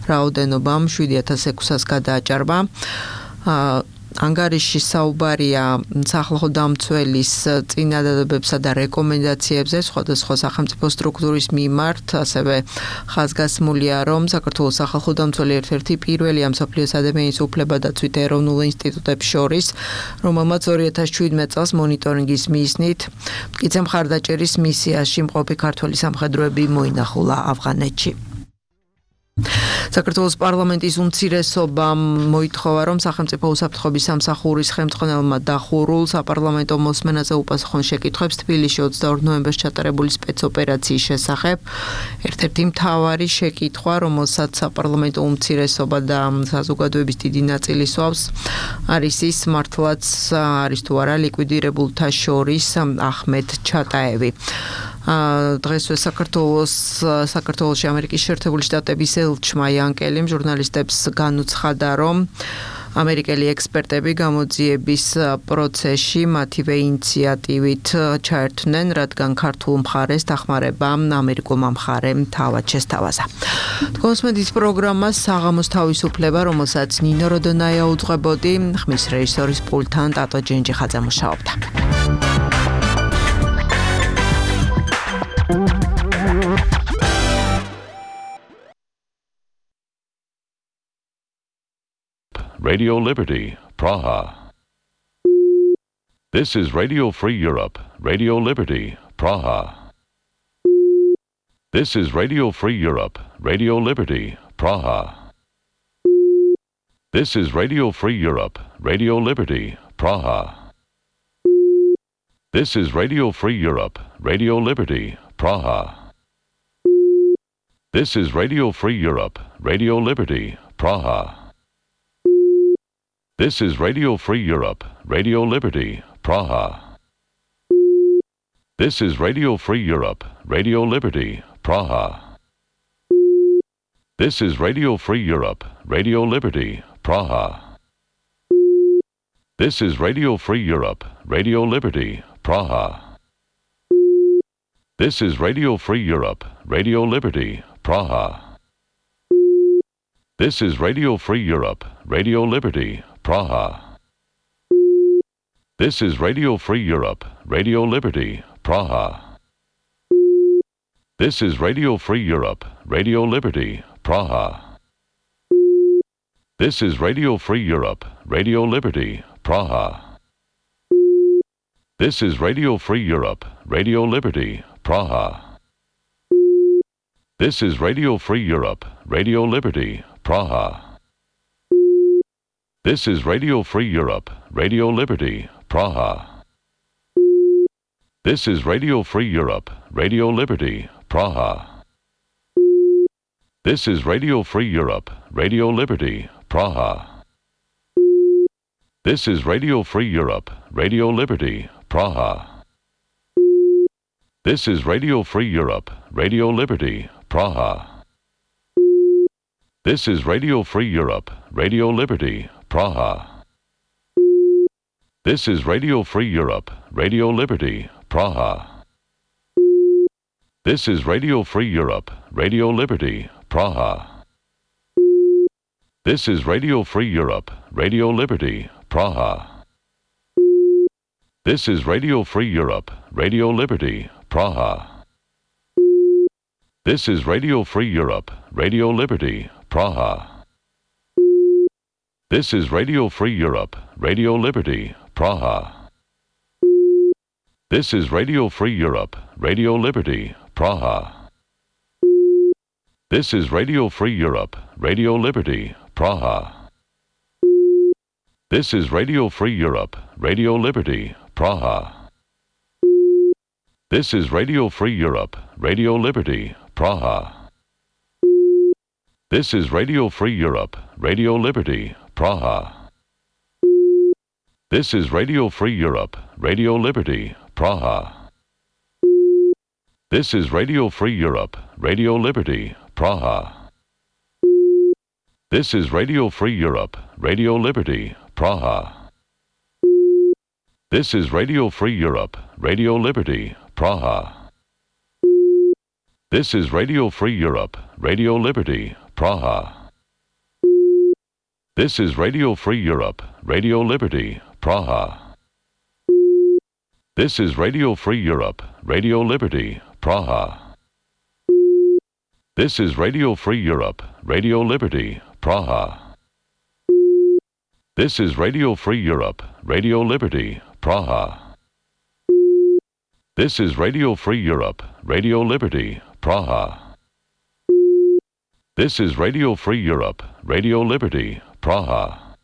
რაოდენობამ შვიდი ათას ექვსას გადააჭარბა. ანგარიში საუბარია სახალხო დამცველის წინადადებებსა და რეკომენდაციებზე სხვადასხვა სახელმწიფო სტრუქტურის მიმართ, ასევე ხაზგასმულია, რომ საქართველოს სახალხო დამცველი ერთ-ერთი პირველია მსოფლიოს ადამიანის უფლებადაცვით ეროვნულ ინსტიტუტებს შორის, რომელმაც ორი ათას შვიდმეტი წელს მონიტორინგის მიზნით მტკიცე მხარდაჭერის მისიაში მყოფი ქართველი სამხედროები მოინახულა ავღანეთში. საქართველოს პარლამენტის უმცირესობამ მოითხოვა, რომ სახელმწიფო უსაფრთხოების სამსახურის ხელმძღვანელმა დახურულ საპარლამენტო მოსმენაზე უპასუხონ შეკითხვებს თბილისში ოცდაორ ნოემბერს ჩატარებული სპეცოპერაციის შესახებ. ერთ-ერთი მთავარი შეკითხვა, რომელსაც საპარლამენტო უმცირესობა და საზოგადოების დიდი ნაწილი სვავს, არის ის, მართლაც არის თუ არა ლიკვიდირებულთა შორის ახმედ ჩატაევი. დღესვე საქართველოს საქართველოში ამერიკის შეერთებული შტატების ელჩმა იანკელიმ ჟურნალისტებს განუცხადა, რომ ამერიკელი ექსპერტები გამოძიების პროცესში მათივე ინიციატივით ჩაერთვნენ, რადგან ქართულ მხარეს დახმარება ამერიკულმა მხარემ თავად შესთავაზა. თქვენს პროგრამას საღამოს თავისუფლება, რომელსაც ნინო როდონაია უძღვებოდი, ხმის რეჟისორის პულტთან ტატო ჯენჯიხაძე მუშაობდა. Radio Liberty, Praha. This is Radio Free Europe, Radio Liberty, Praha. This is Radio Free Europe, Radio Liberty, Praha. This is Radio Free Europe, Radio Liberty, Praha. This is Radio Free Europe, Radio Liberty, Praha. This is Radio Free Europe, Radio Liberty, Praha. This is Radio Free Europe, Radio Liberty, Praha. This is Radio Free Europe, Radio Liberty, Praha. This is Radio Free Europe, Radio Liberty, Praha. This is Radio Free Europe, Radio Liberty, Praha. This is Radio Free Europe, Radio Liberty, Praha. This is Radio Free Europe, Radio Liberty, Praha. This is Radio Free Europe, Radio Liberty, Praha. This is Radio Free Europe, Radio Liberty, Praha. This is Radio Free Europe, Radio Liberty, Praha. This is Radio Free Europe, Radio Liberty, Praha. This is Radio Free Europe, Radio Liberty, Praha. This is Radio Free Europe, Radio Liberty, Praha. This is Radio Free Europe, Radio Liberty, Praha. This is Radio Free Europe, Radio Liberty, Praha. This is Radio Free Europe, Radio Liberty, Praha. This is Radio Free Europe, Radio Liberty, Praha. This is Radio Free Europe, Radio Liberty, Praha. This is Radio Free Europe, Radio Liberty, Praha. This is Radio Free Europe, Radio Liberty, Praha. This is Radio Free Europe, Radio Liberty, Praha. This is Radio Free Europe, Radio Liberty, Praha. This is Radio Free Europe, Radio Liberty, Praha. This is Radio Free Europe, Radio Liberty, Praha. This is Radio Free Europe, Radio Liberty, Praha. This is Radio Free Europe, Radio Liberty, Praha. This is Radio Free Europe, Radio Liberty, Praha. This is Radio Free Europe, Radio Liberty, Praha. This is Radio Free Europe, Radio Liberty, Praha. This is Radio Free Europe, Radio Liberty, Praha. This is Radio Free Europe, Radio Liberty, Praha. This is Radio Free Europe, Radio Liberty, Praha. This is Radio Free Europe, Radio Liberty, Praha. This is Radio Free Europe, Radio Liberty, Praha. This is Radio Free Europe, Radio Liberty, Praha. This is Radio Free Europe, Radio Liberty, Praha. This is Radio Free Europe, Radio Liberty, Praha. This is Radio Free Europe, Radio Liberty, Praha. This is Radio Free Europe, Radio Liberty, Praha. This is Radio Free Europe, Radio Liberty, Praha.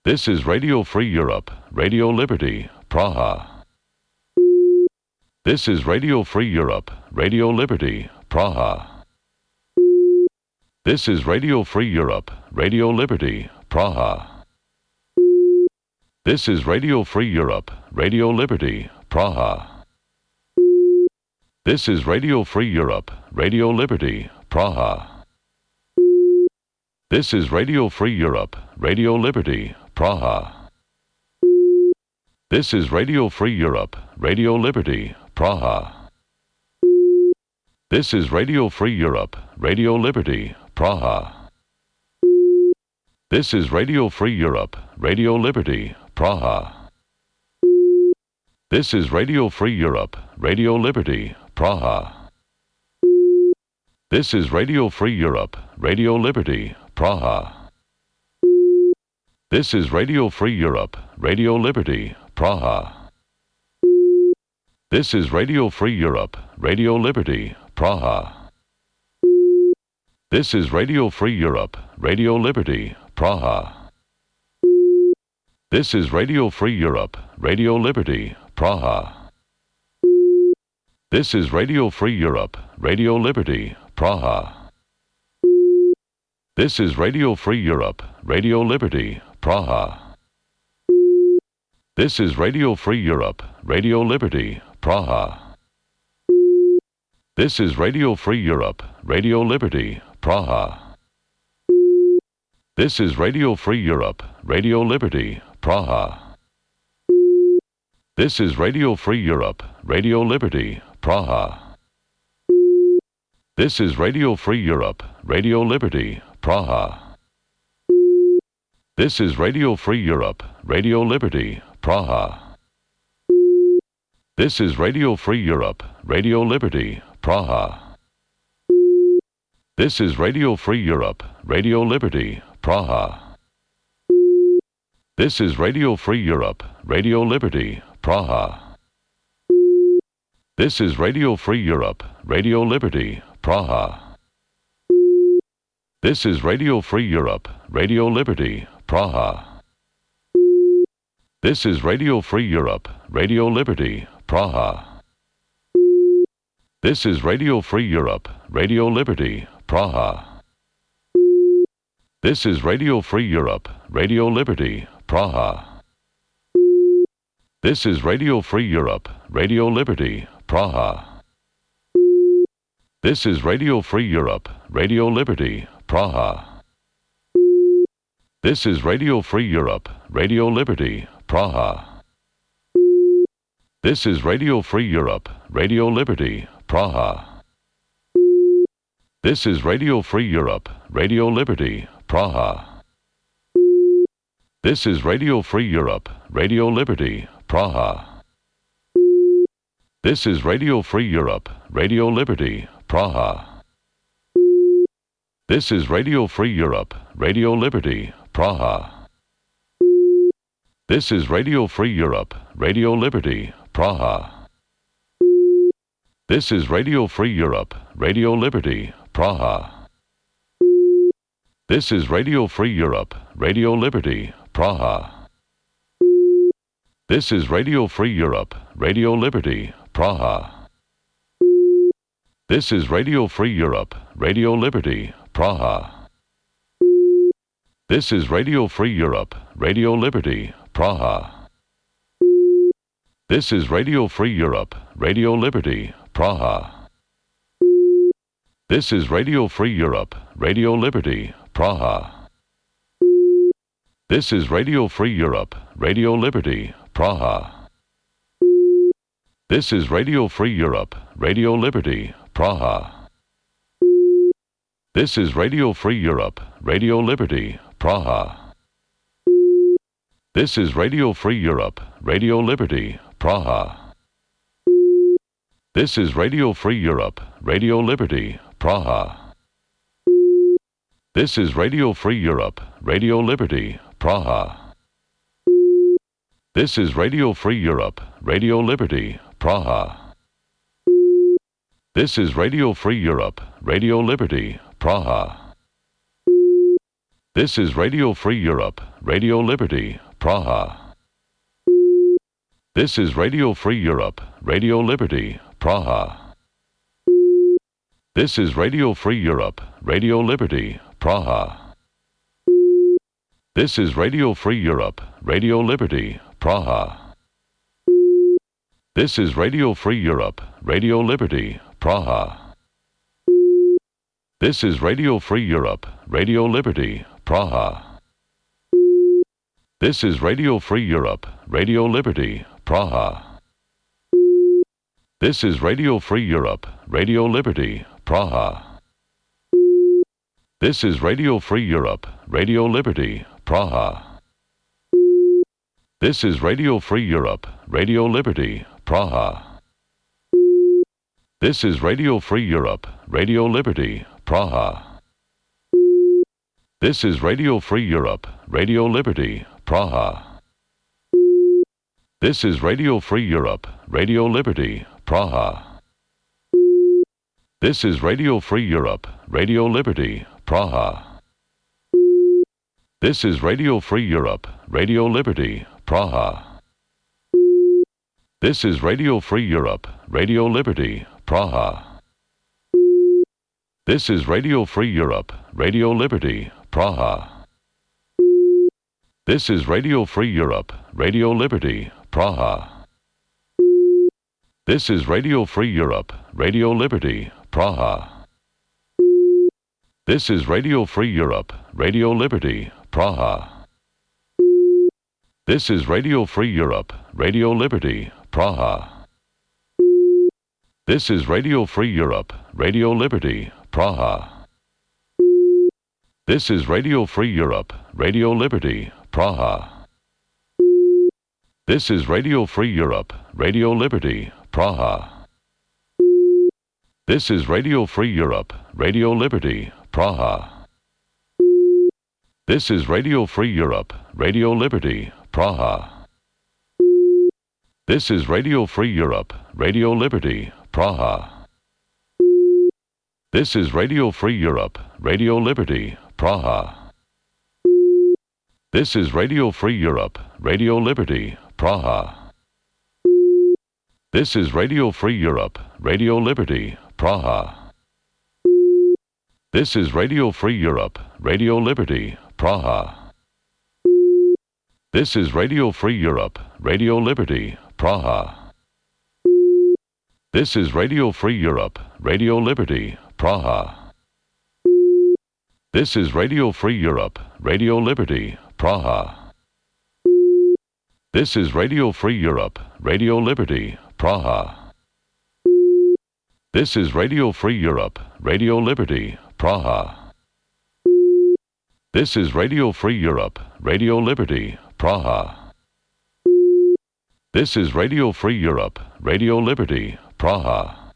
This is Radio Free Europe, Radio Liberty, Praha. This is Radio Free Europe, Radio Liberty, Praha. This is Radio Free Europe, Radio Liberty, Praha. This is Radio Free Europe, Radio Liberty, Praha. This is Radio Free Europe, Radio Liberty, Praha. This is Radio Free Europe, Radio Liberty, Praha. This is Radio Free Europe, Radio Liberty, Praha. This is Radio Free Europe, Radio Liberty, Praha. This is Radio Free Europe, Radio Liberty, Praha. This is Radio Free Europe, Radio Liberty, Praha. This is Radio Free Europe, Radio Liberty, Praha. This is Radio Free Europe, Radio Liberty, Praha. This is Radio Free Europe, Radio Liberty, Praha. This is Radio Free Europe, Radio Liberty, Praha. This is Radio Free Europe, Radio Liberty, Praha. This is Radio Free Europe, Radio Liberty, Praha. This is Radio Free Europe, Radio Liberty, Praha. This is Radio Free Europe, Radio Liberty, Praha. This is Radio Free Europe, Radio Liberty, Praha. This is Radio Free Europe, Radio Liberty, Praha. This is Radio Free Europe, Radio Liberty, Praha. This is Radio Free Europe, Radio Liberty, Praha. This is Radio Free Europe, Radio Liberty, Praha. This is Radio Free Europe, Radio Liberty, Praha. This is Radio Free Europe, Radio Liberty, Praha. This is Radio Free Europe, Radio Liberty, Praha. This is Radio Free Europe, Radio Liberty, Praha. This is Radio Free Europe, Radio Liberty, Praha. This is Radio Free Europe, Radio Liberty, Praha. This is Radio Free Europe, Radio Liberty, Praha. This is Radio Free Europe, Radio Liberty, Praha. This is Radio Free Europe, Radio Liberty, Praha. This is Radio Free Europe, Radio Liberty, Praha. This is Radio Free Europe, Radio Liberty, Praha. This is Radio Free Europe, Radio Liberty, Praha. This is Radio Free Europe, Radio Liberty, Praha. This is Radio Free Europe, Radio Liberty, Praha. This is Radio Free Europe, Radio Liberty, Praha. This is Radio Free Europe, Radio Liberty, Praha. This is Radio Free Europe, Radio Liberty, Praha. This is Radio Free Europe, Radio Liberty, Praha. This is Radio Free Europe, Radio Liberty, Praha. This is Radio Free Europe, Radio Liberty, Praha. This is Radio Free Europe, Radio Liberty, Praha. This is Radio Free Europe, Radio Liberty, Praha. This is Radio Free Europe, Radio Liberty, Praha. This is Radio Free Europe, Radio Liberty, Praha. This is Radio Free Europe, Radio Liberty, Praha. This is Radio Free Europe, Radio Liberty, Praha. This is Radio Free Europe, Radio Liberty, Praha. This is Radio Free Europe, Radio Liberty, Praha. This is Radio Free Europe, Radio Liberty, Praha. This is Radio Free Europe, Radio Liberty, Praha. This is Radio Free Europe, Radio Liberty, Praha. This is Radio Free Europe, Radio Liberty, Praha. This is Radio Free Europe, Radio Liberty, Praha. This is Radio Free Europe, Radio Liberty, Praha. This is Radio Free Europe, Radio Liberty, Praha. This is Radio Free Europe, Radio Liberty, Praha. This is Radio Free Europe, Radio Liberty, Praha. This is Radio Free Europe, Radio Liberty, Praha. This is Radio Free Europe, Radio Liberty, Praha. This is Radio Free Europe, Radio Liberty, Praha. This is Radio Free Europe, Radio Liberty, Praha. This is Radio Free Europe, Radio Liberty, Praha. This is Radio Free Europe, Radio Liberty, Praha. This is Radio Free Europe, Radio Liberty, Praha. This is Radio Free Europe, Radio Liberty, Praha. This is Radio Free Europe, Radio Liberty, Praha. This is Radio Free Europe, Radio Liberty, Praha. This is Radio Free Europe, Radio Liberty, Praha. This is Radio Free Europe, Radio Liberty, Praha. This is Radio Free Europe, Radio Liberty, Praha. This is Radio Free Europe, Radio Liberty, Praha. This is Radio Free Europe, Radio Liberty, Praha. This is Radio Free Europe, Radio Liberty, Praha. This is Radio Free Europe, Radio Liberty, Praha. This is Radio Free Europe, Radio Liberty, Praha. This is Radio Free Europe, Radio Liberty, Praha. This is Radio Free Europe, Radio Liberty, Praha. This is Radio Free Europe, Radio Liberty, Praha. This is Radio Free Europe, Radio Liberty, Praha. This is Radio Free Europe, Radio Liberty, Praha. This is Radio Free Europe, Radio Liberty, Praha. This is Radio Free Europe, Radio Liberty, Praha. This is Radio Free Europe, Radio Liberty, Praha. This is Radio Free Europe, Radio Liberty, Praha. This is Radio Free Europe, Radio Liberty, Praha. This is Radio Free Europe, Radio Liberty, Praha. This is Radio Free Europe, Radio Liberty, Praha. This is Radio Free Europe, Radio Liberty, Praha. This is Radio Free Europe, Radio Liberty, Praha. This is Radio Free Europe, Radio Liberty, Praha.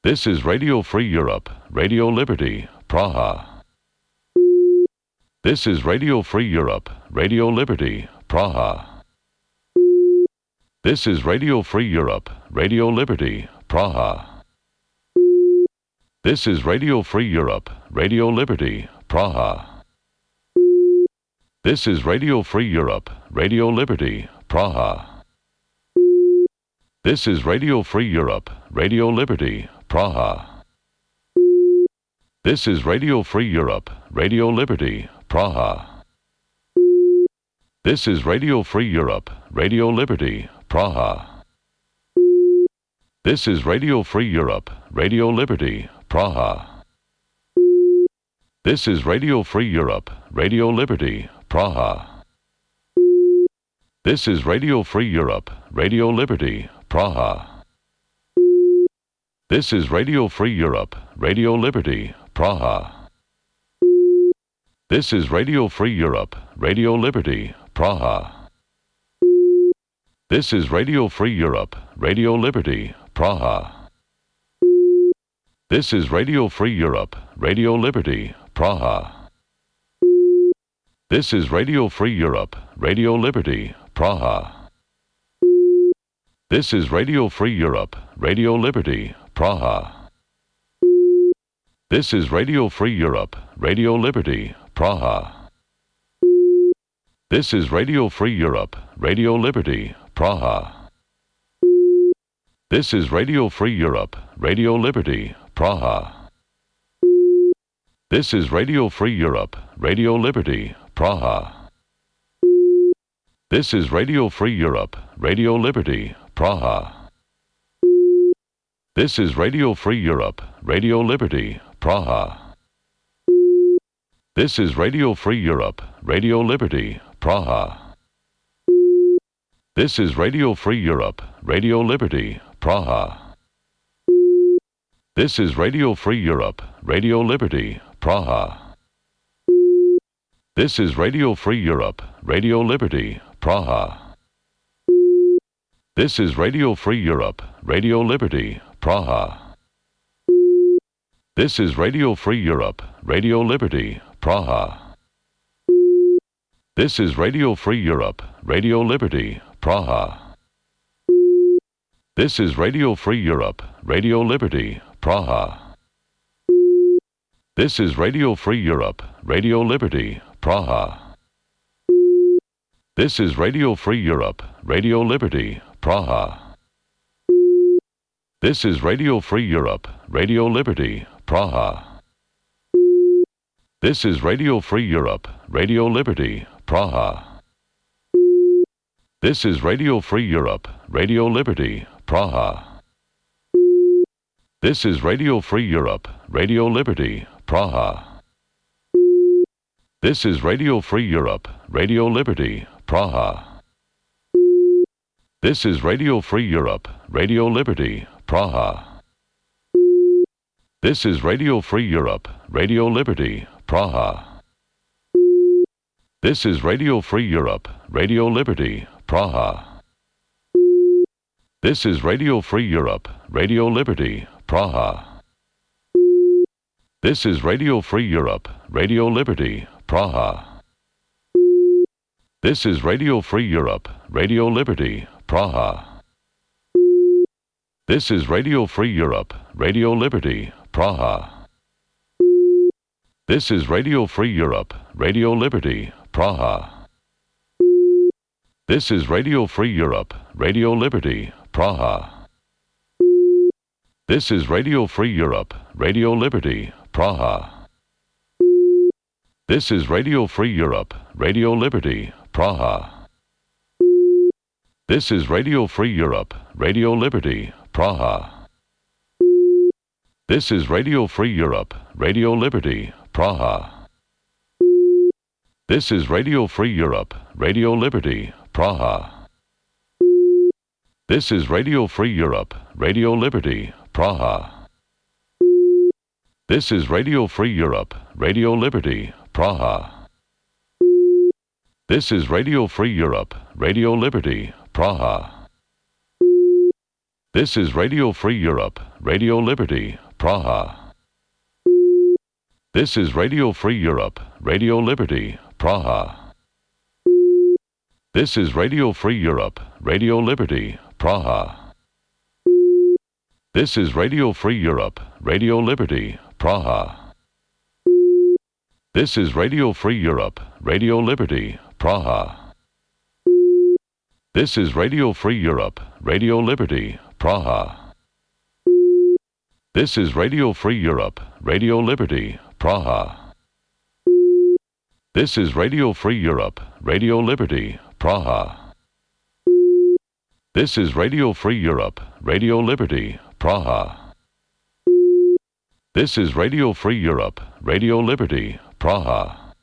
This is Radio Free Europe, Radio Liberty, Praha. This is Radio Free Europe, Radio Liberty, Praha. This is Radio Free Europe, Radio Liberty, Praha. This is Radio Free Europe, Radio Liberty, Praha. This is Radio Free Europe, Radio Liberty, Praha. This is Radio Free Europe, Radio Liberty, Praha. This is Radio Free Europe, Radio Liberty, Praha. This is Radio Free Europe, Radio Liberty, Praha. This is Radio Free Europe, Radio Liberty, Praha. This is Radio Free Europe, Radio Liberty, Praha. This is Radio Free Europe, Radio Liberty, Praha. This is Radio Free Europe, Radio Liberty, Praha. This is Radio Free Europe, Radio Liberty, Praha. This is Radio Free Europe, Radio Liberty, Praha. This is Radio Free Europe, Radio Liberty, Praha. This is Radio Free Europe, Radio Liberty, Praha. This is Radio Free Europe, Radio Liberty, Praha. This is Radio Free Europe, Radio Liberty, Praha. This is Radio Free Europe, Radio Liberty, Praha. This is Radio Free Europe, Radio Liberty, Praha. This is Radio Free Europe, Radio Liberty, Praha. This is Radio Free Europe, Radio Liberty, Praha. This is Radio Free Europe, Radio Liberty, Praha. This is Radio Free Europe, Radio Liberty, Praha. This is Radio Free Europe, Radio Liberty, Praha. This is Radio Free Europe, Radio Liberty, Praha. This is Radio Free Europe, Radio Liberty, Praha. This is Radio Free Europe, Radio Liberty, Praha. This is Radio Free Europe, Radio Liberty, Praha. This is Radio Free Europe, Radio Liberty, Praha. This is Radio Free Europe, Radio Liberty, Praha. This is Radio Free Europe, Radio Liberty, Praha. This is Radio Free Europe, Radio Liberty, Praha. This is Radio Free Europe, Radio Liberty, Praha. This is Radio Free Europe, Radio Liberty, Praha. This is Radio Free Europe, Radio Liberty, Praha. This is Radio Free Europe, Radio Liberty, Praha. This is Radio Free Europe, Radio Liberty, Praha. This is Radio Free Europe, Radio Liberty, Praha. This is Radio Free Europe, Radio Liberty, Praha. This is Radio Free Europe, Radio Liberty, Praha. This is Radio Free Europe, Radio Liberty, Praha. This is Radio Free Europe, Radio Liberty, Praha. This is Radio Free Europe, Radio Liberty, Praha. This is Radio Free Europe, Radio Liberty, Praha. This is Radio Free Europe, Radio Liberty, Praha. This is Radio Free Europe, Radio Liberty, Praha. This is Radio Free Europe, Radio Liberty, Praha. This is Radio Free Europe, Radio Liberty, Praha. This is Radio Free Europe, Radio Liberty, Praha. This is Radio Free Europe, Radio Liberty, Praha. This is Radio Free Europe, Radio Liberty, Praha. This is Radio Free Europe, Radio Liberty, Praha. This is Radio Free Europe, Radio Liberty, Praha. This is Radio Free Europe, Radio Liberty, Praha. This is Radio Free Europe, Radio Liberty, Praha. This is Radio Free Europe, Radio Liberty, Praha. This is Radio Free Europe, Radio Liberty, Praha. This is Radio Free Europe, Radio Liberty, Praha. This is Radio Free Europe, Radio Liberty, Praha. This is Radio Free Europe, Radio Liberty, Praha. This is Radio Free Europe, Radio Liberty, Praha. This is Radio Free Europe, Radio Liberty, Praha. This is Radio Free Europe, Radio Liberty, Praha. This is Radio Free Europe, Radio Liberty, Praha.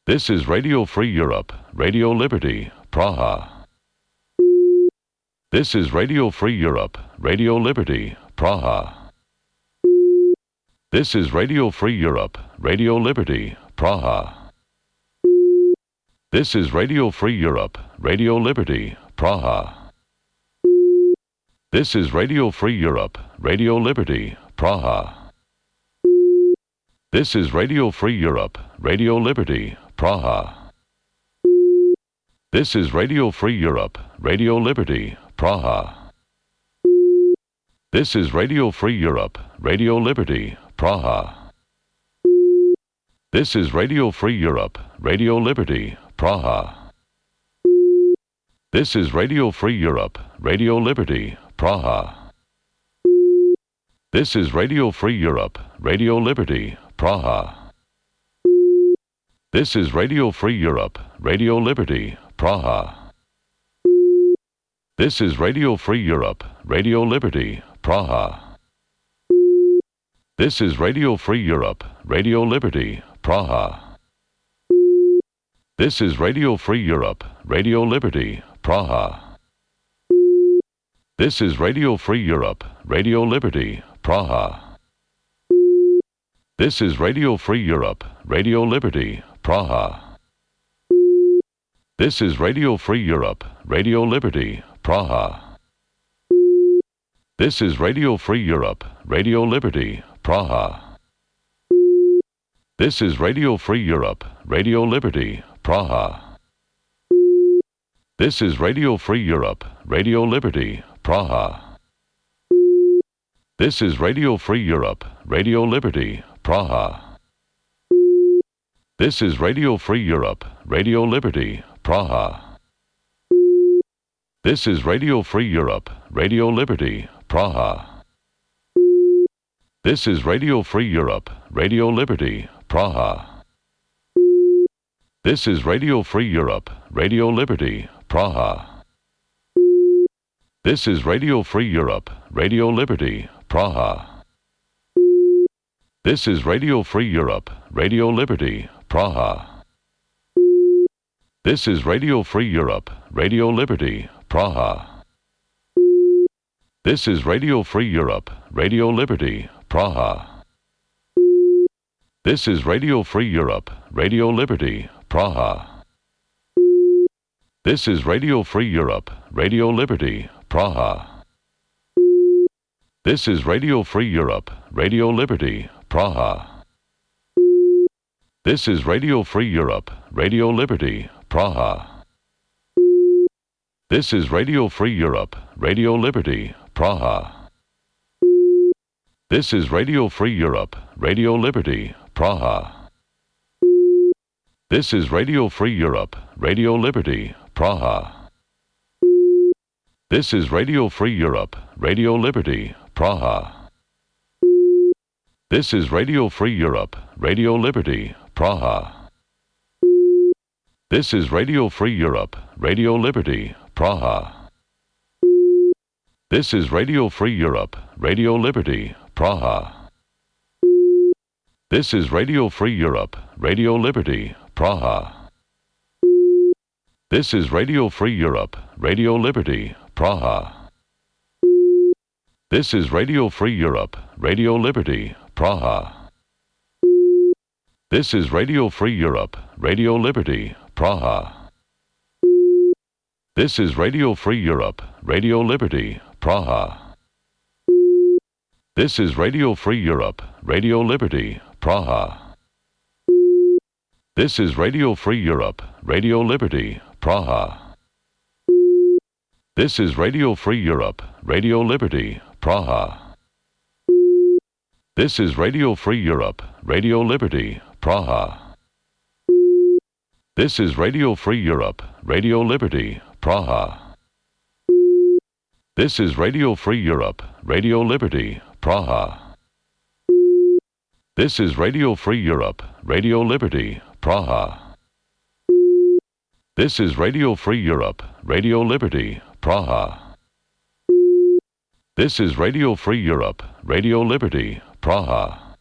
This is Radio Free Europe, Radio Liberty, Praha. This is Radio Free Europe, Radio Liberty, Praha. This is Radio Free Europe, Radio Liberty, Praha. This is Radio Free Europe, Radio Liberty, Praha. This is Radio Free Europe, Radio Liberty, Praha. This is Radio Free Europe, Radio Liberty, Praha. This is Radio Free Europe, Radio Liberty, Praha. This is Radio Free Europe, Radio Liberty, Praha. This is Radio Free Europe, Radio Liberty, Praha. This is Radio Free Europe, Radio Liberty, Praha. This is Radio Free Europe, Radio Liberty, Praha. This is Radio Free Europe, Radio Liberty, Praha. This is Radio Free Europe, Radio Liberty, Praha. This is Radio Free Europe, Radio Liberty, Praha. This is Radio Free Europe, Radio Liberty, Praha. This is Radio Free Europe, Radio Liberty, Praha. This is Radio Free Europe, Radio Liberty, Praha. This is Radio Free Europe, Radio Liberty, Praha. This is Radio Free Europe, Radio Liberty, Praha. This is Radio Free Europe, Radio Liberty, Praha. This is Radio Free Europe, Radio Liberty, Praha. This is Radio Free Europe, Radio Liberty, Praha. This is Radio Free Europe, Radio Liberty, Praha. This is Radio Free Europe, Radio Liberty, Praha. This is Radio Free Europe, Radio Liberty, Praha. This is Radio Free Europe, Radio Liberty, Praha. This is Radio Free Europe, Radio Liberty, Praha. This is Radio Free Europe, Radio Liberty, Praha. This is Radio Free Europe, Radio Liberty, Praha. This is Radio Free Europe, Radio Liberty, Praha. This is Radio Free Europe, Radio Liberty, Praha. This is Radio Free Europe, Radio Liberty, Praha. This is Radio Free Europe, Radio Liberty, Praha. This is Radio Free Europe, Radio Liberty, Praha. This is Radio Free Europe, Radio Liberty, Praha. This is Radio Free Europe, Radio Liberty, Praha. This is Radio Free Europe, Radio Liberty, Praha. This is Radio Free Europe, Radio Liberty, Praha. This is Radio Free Europe, Radio Liberty, Praha. This is Radio Free Europe, Radio Liberty, Praha. This is Radio Free Europe, Radio Liberty, Praha. This is Radio Free Europe, Radio Liberty, Praha. This is Radio Free Europe, Radio Liberty, Praha. This is Radio Free Europe, Radio Liberty, Praha. This is Radio Free Europe, Radio Liberty, Praha. This is Radio Free Europe, Radio Liberty, Praha. This is Radio Free Europe, Radio Liberty, Praha. This is Radio Free Europe, Radio Liberty, Praha. This is Radio Free Europe, Radio Liberty, Praha. This is Radio Free Europe, Radio Liberty, Praha. This is Radio Free Europe, Radio Liberty, Praha. This is Radio Free Europe, Radio Liberty, Praha. This is Radio Free Europe, Radio Liberty, Praha. This is Radio Free Europe, Radio Liberty, Praha. This is Radio Free Europe, Radio Liberty, Praha.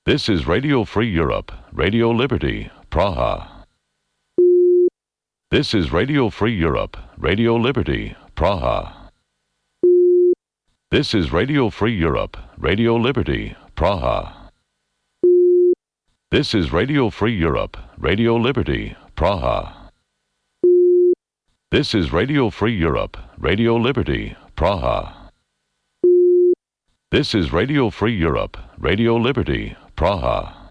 This is Radio Free Europe, Radio Liberty, Praha. This is Radio Free Europe, Radio Liberty, Praha. This is Radio Free Europe, Radio Liberty, Praha. This is Radio Free Europe, Radio Liberty, Praha. This is Radio Free Europe, Radio Liberty, Praha. This is Radio Free Europe, Radio Liberty, Praha.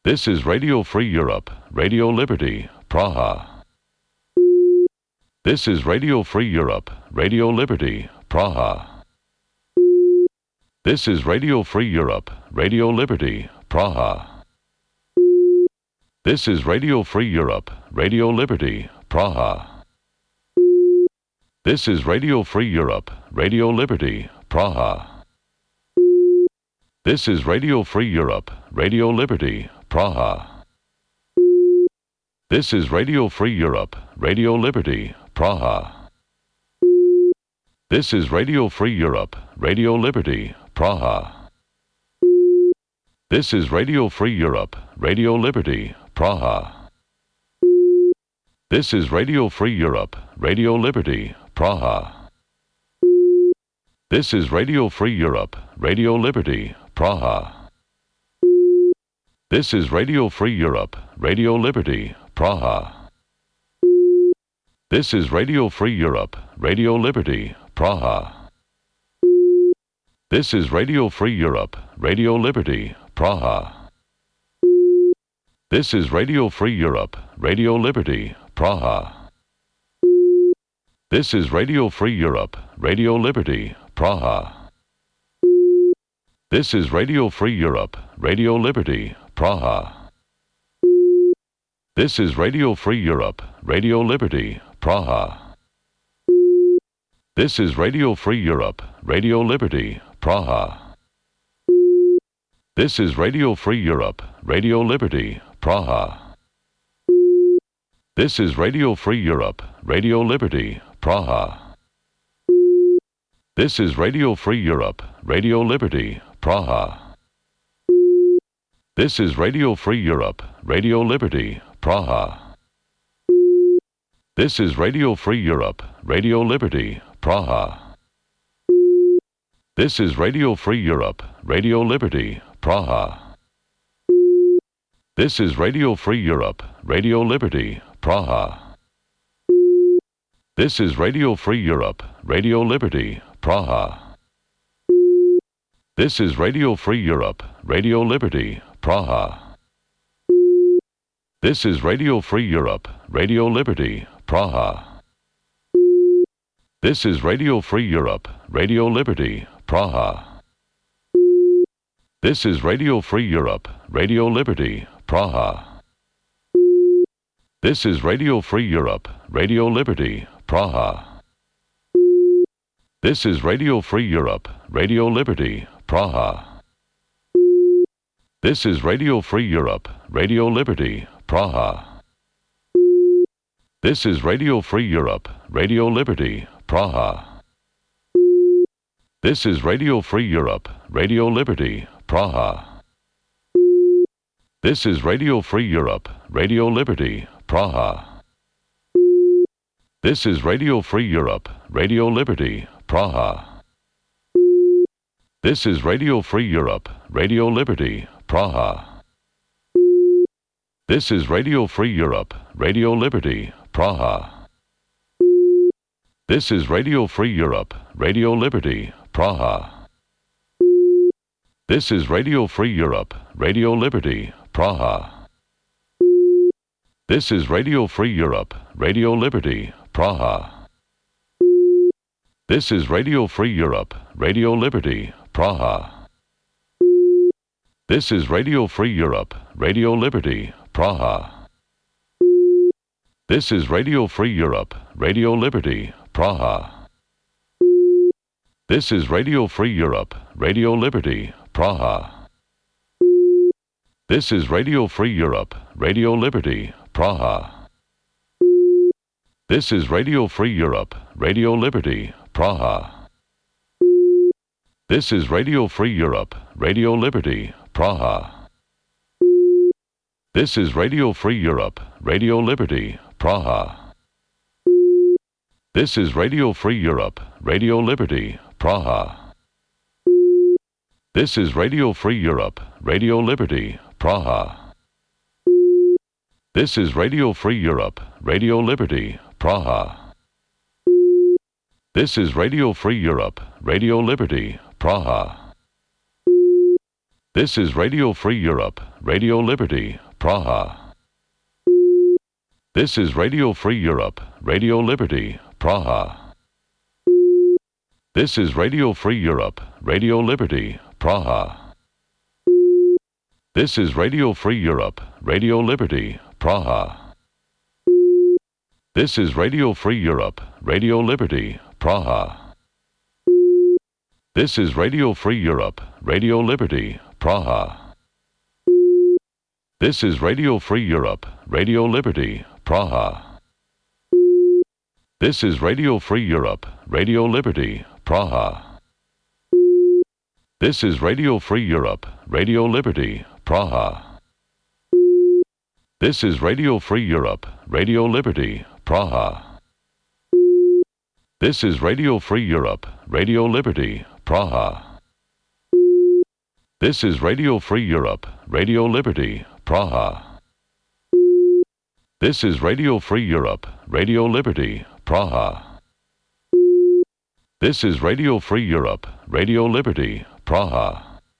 This is Radio Free Europe, Radio Liberty, Praha. This is Radio Free Europe, Radio Liberty, Praha. This is Radio Free Europe, Radio Liberty, Praha. This is Radio Free Europe, Radio Liberty, Praha. This is Radio Free Europe, Radio Liberty, Praha. This is Radio Free Europe, Radio Liberty, Praha. This is Radio Free Europe, Radio Liberty, Praha. This is Radio Free Europe, Radio Liberty, Praha. This is Radio Free Europe, Radio Liberty, Praha. This is Radio Free Europe, Radio Liberty, Praha. This is Radio Free Europe, Radio Liberty, Praha. This is Radio Free Europe, Radio Liberty, Praha. This is Radio Free Europe, Radio Liberty, Praha. This is Radio Free Europe, Radio Liberty, Praha. This is Radio Free Europe, Radio Liberty, Praha. This is Radio Free Europe, Radio Liberty, Praha. This is Radio Free Europe, Radio Liberty, Praha. This is Radio Free Europe, Radio Liberty, Praha. This is Radio Free Europe, Radio Liberty, Praha. This is Radio Free Europe, Radio Liberty, Praha. This is Radio Free Europe, Radio Liberty, Praha. This is Radio Free Europe, Radio Liberty, Praha. This is Radio Free Europe, Radio Liberty, Praha. This is Radio Free Europe, Radio Liberty, Praha. This is Radio Free Europe, Radio Liberty, Praha. This is Radio Free Europe, Radio Liberty, Praha. This is Radio Free Europe, Radio Liberty, Praha. This is Radio Free Europe, Radio Liberty, Praha. This is Radio Free Europe, Radio Liberty, Praha. This is Radio Free Europe, Radio Liberty, Praha. This is Radio Free Europe, Radio Liberty, Praha. This is Radio Free Europe, Radio Liberty, Praha. This is Radio Free Europe, Radio Liberty, Praha. This is Radio Free Europe, Radio Liberty, Praha. This is Radio Free Europe, Radio Liberty, Praha. This is Radio Free Europe, Radio Liberty, Praha. This is Radio Free Europe, Radio Liberty, Praha. This is Radio Free Europe, Radio Liberty, Praha. This is Radio Free Europe, Radio Liberty, Praha. This is Radio Free Europe, Radio Liberty, Praha. This is Radio Free Europe, Radio Liberty, Praha. This is Radio Free Europe, Radio Liberty, Praha. This is Radio Free Europe, Radio Liberty, Praha. This is Radio Free Europe, Radio Liberty, Praha. This is Radio Free Europe, Radio Liberty, Praha. This is Radio Free Europe, Radio Liberty, Praha. This is Radio Free Europe, Radio Liberty, Praha. This is Radio Free Europe, Radio Liberty, Praha. This is Radio Free Europe, Radio Liberty, Praha. This is Radio Free Europe, Radio Liberty, Praha. This is Radio Free Europe, Radio Liberty, Praha. This is Radio Free Europe, Radio Liberty, Praha. This is Radio Free Europe, Radio Liberty, Praha. This is Radio Free Europe, Radio Liberty, Praha. This is Radio Free Europe, Radio Liberty, Praha. This is Radio Free Europe, Radio Liberty, Praha. This is Radio Free Europe, Radio Liberty, Praha. This is Radio Free Europe, Radio Liberty, Praha. This is Radio Free Europe, Radio Liberty, Praha. This is Radio Free Europe, Radio Liberty, Praha. This is Radio Free Europe, Radio Liberty, Praha. This is Radio Free Europe, Radio Liberty, Praha. This is Radio Free Europe, Radio Liberty, Praha. This is Radio Free Europe, Radio Liberty, Praha. This is Radio Free Europe, Radio Liberty, Praha. This is Radio Free Europe, Radio Liberty, Praha. This is Radio Free Europe, Radio Liberty, Praha. This is Radio Free Europe, Radio Liberty, Praha. This is Radio Free Europe, Radio Liberty, Praha.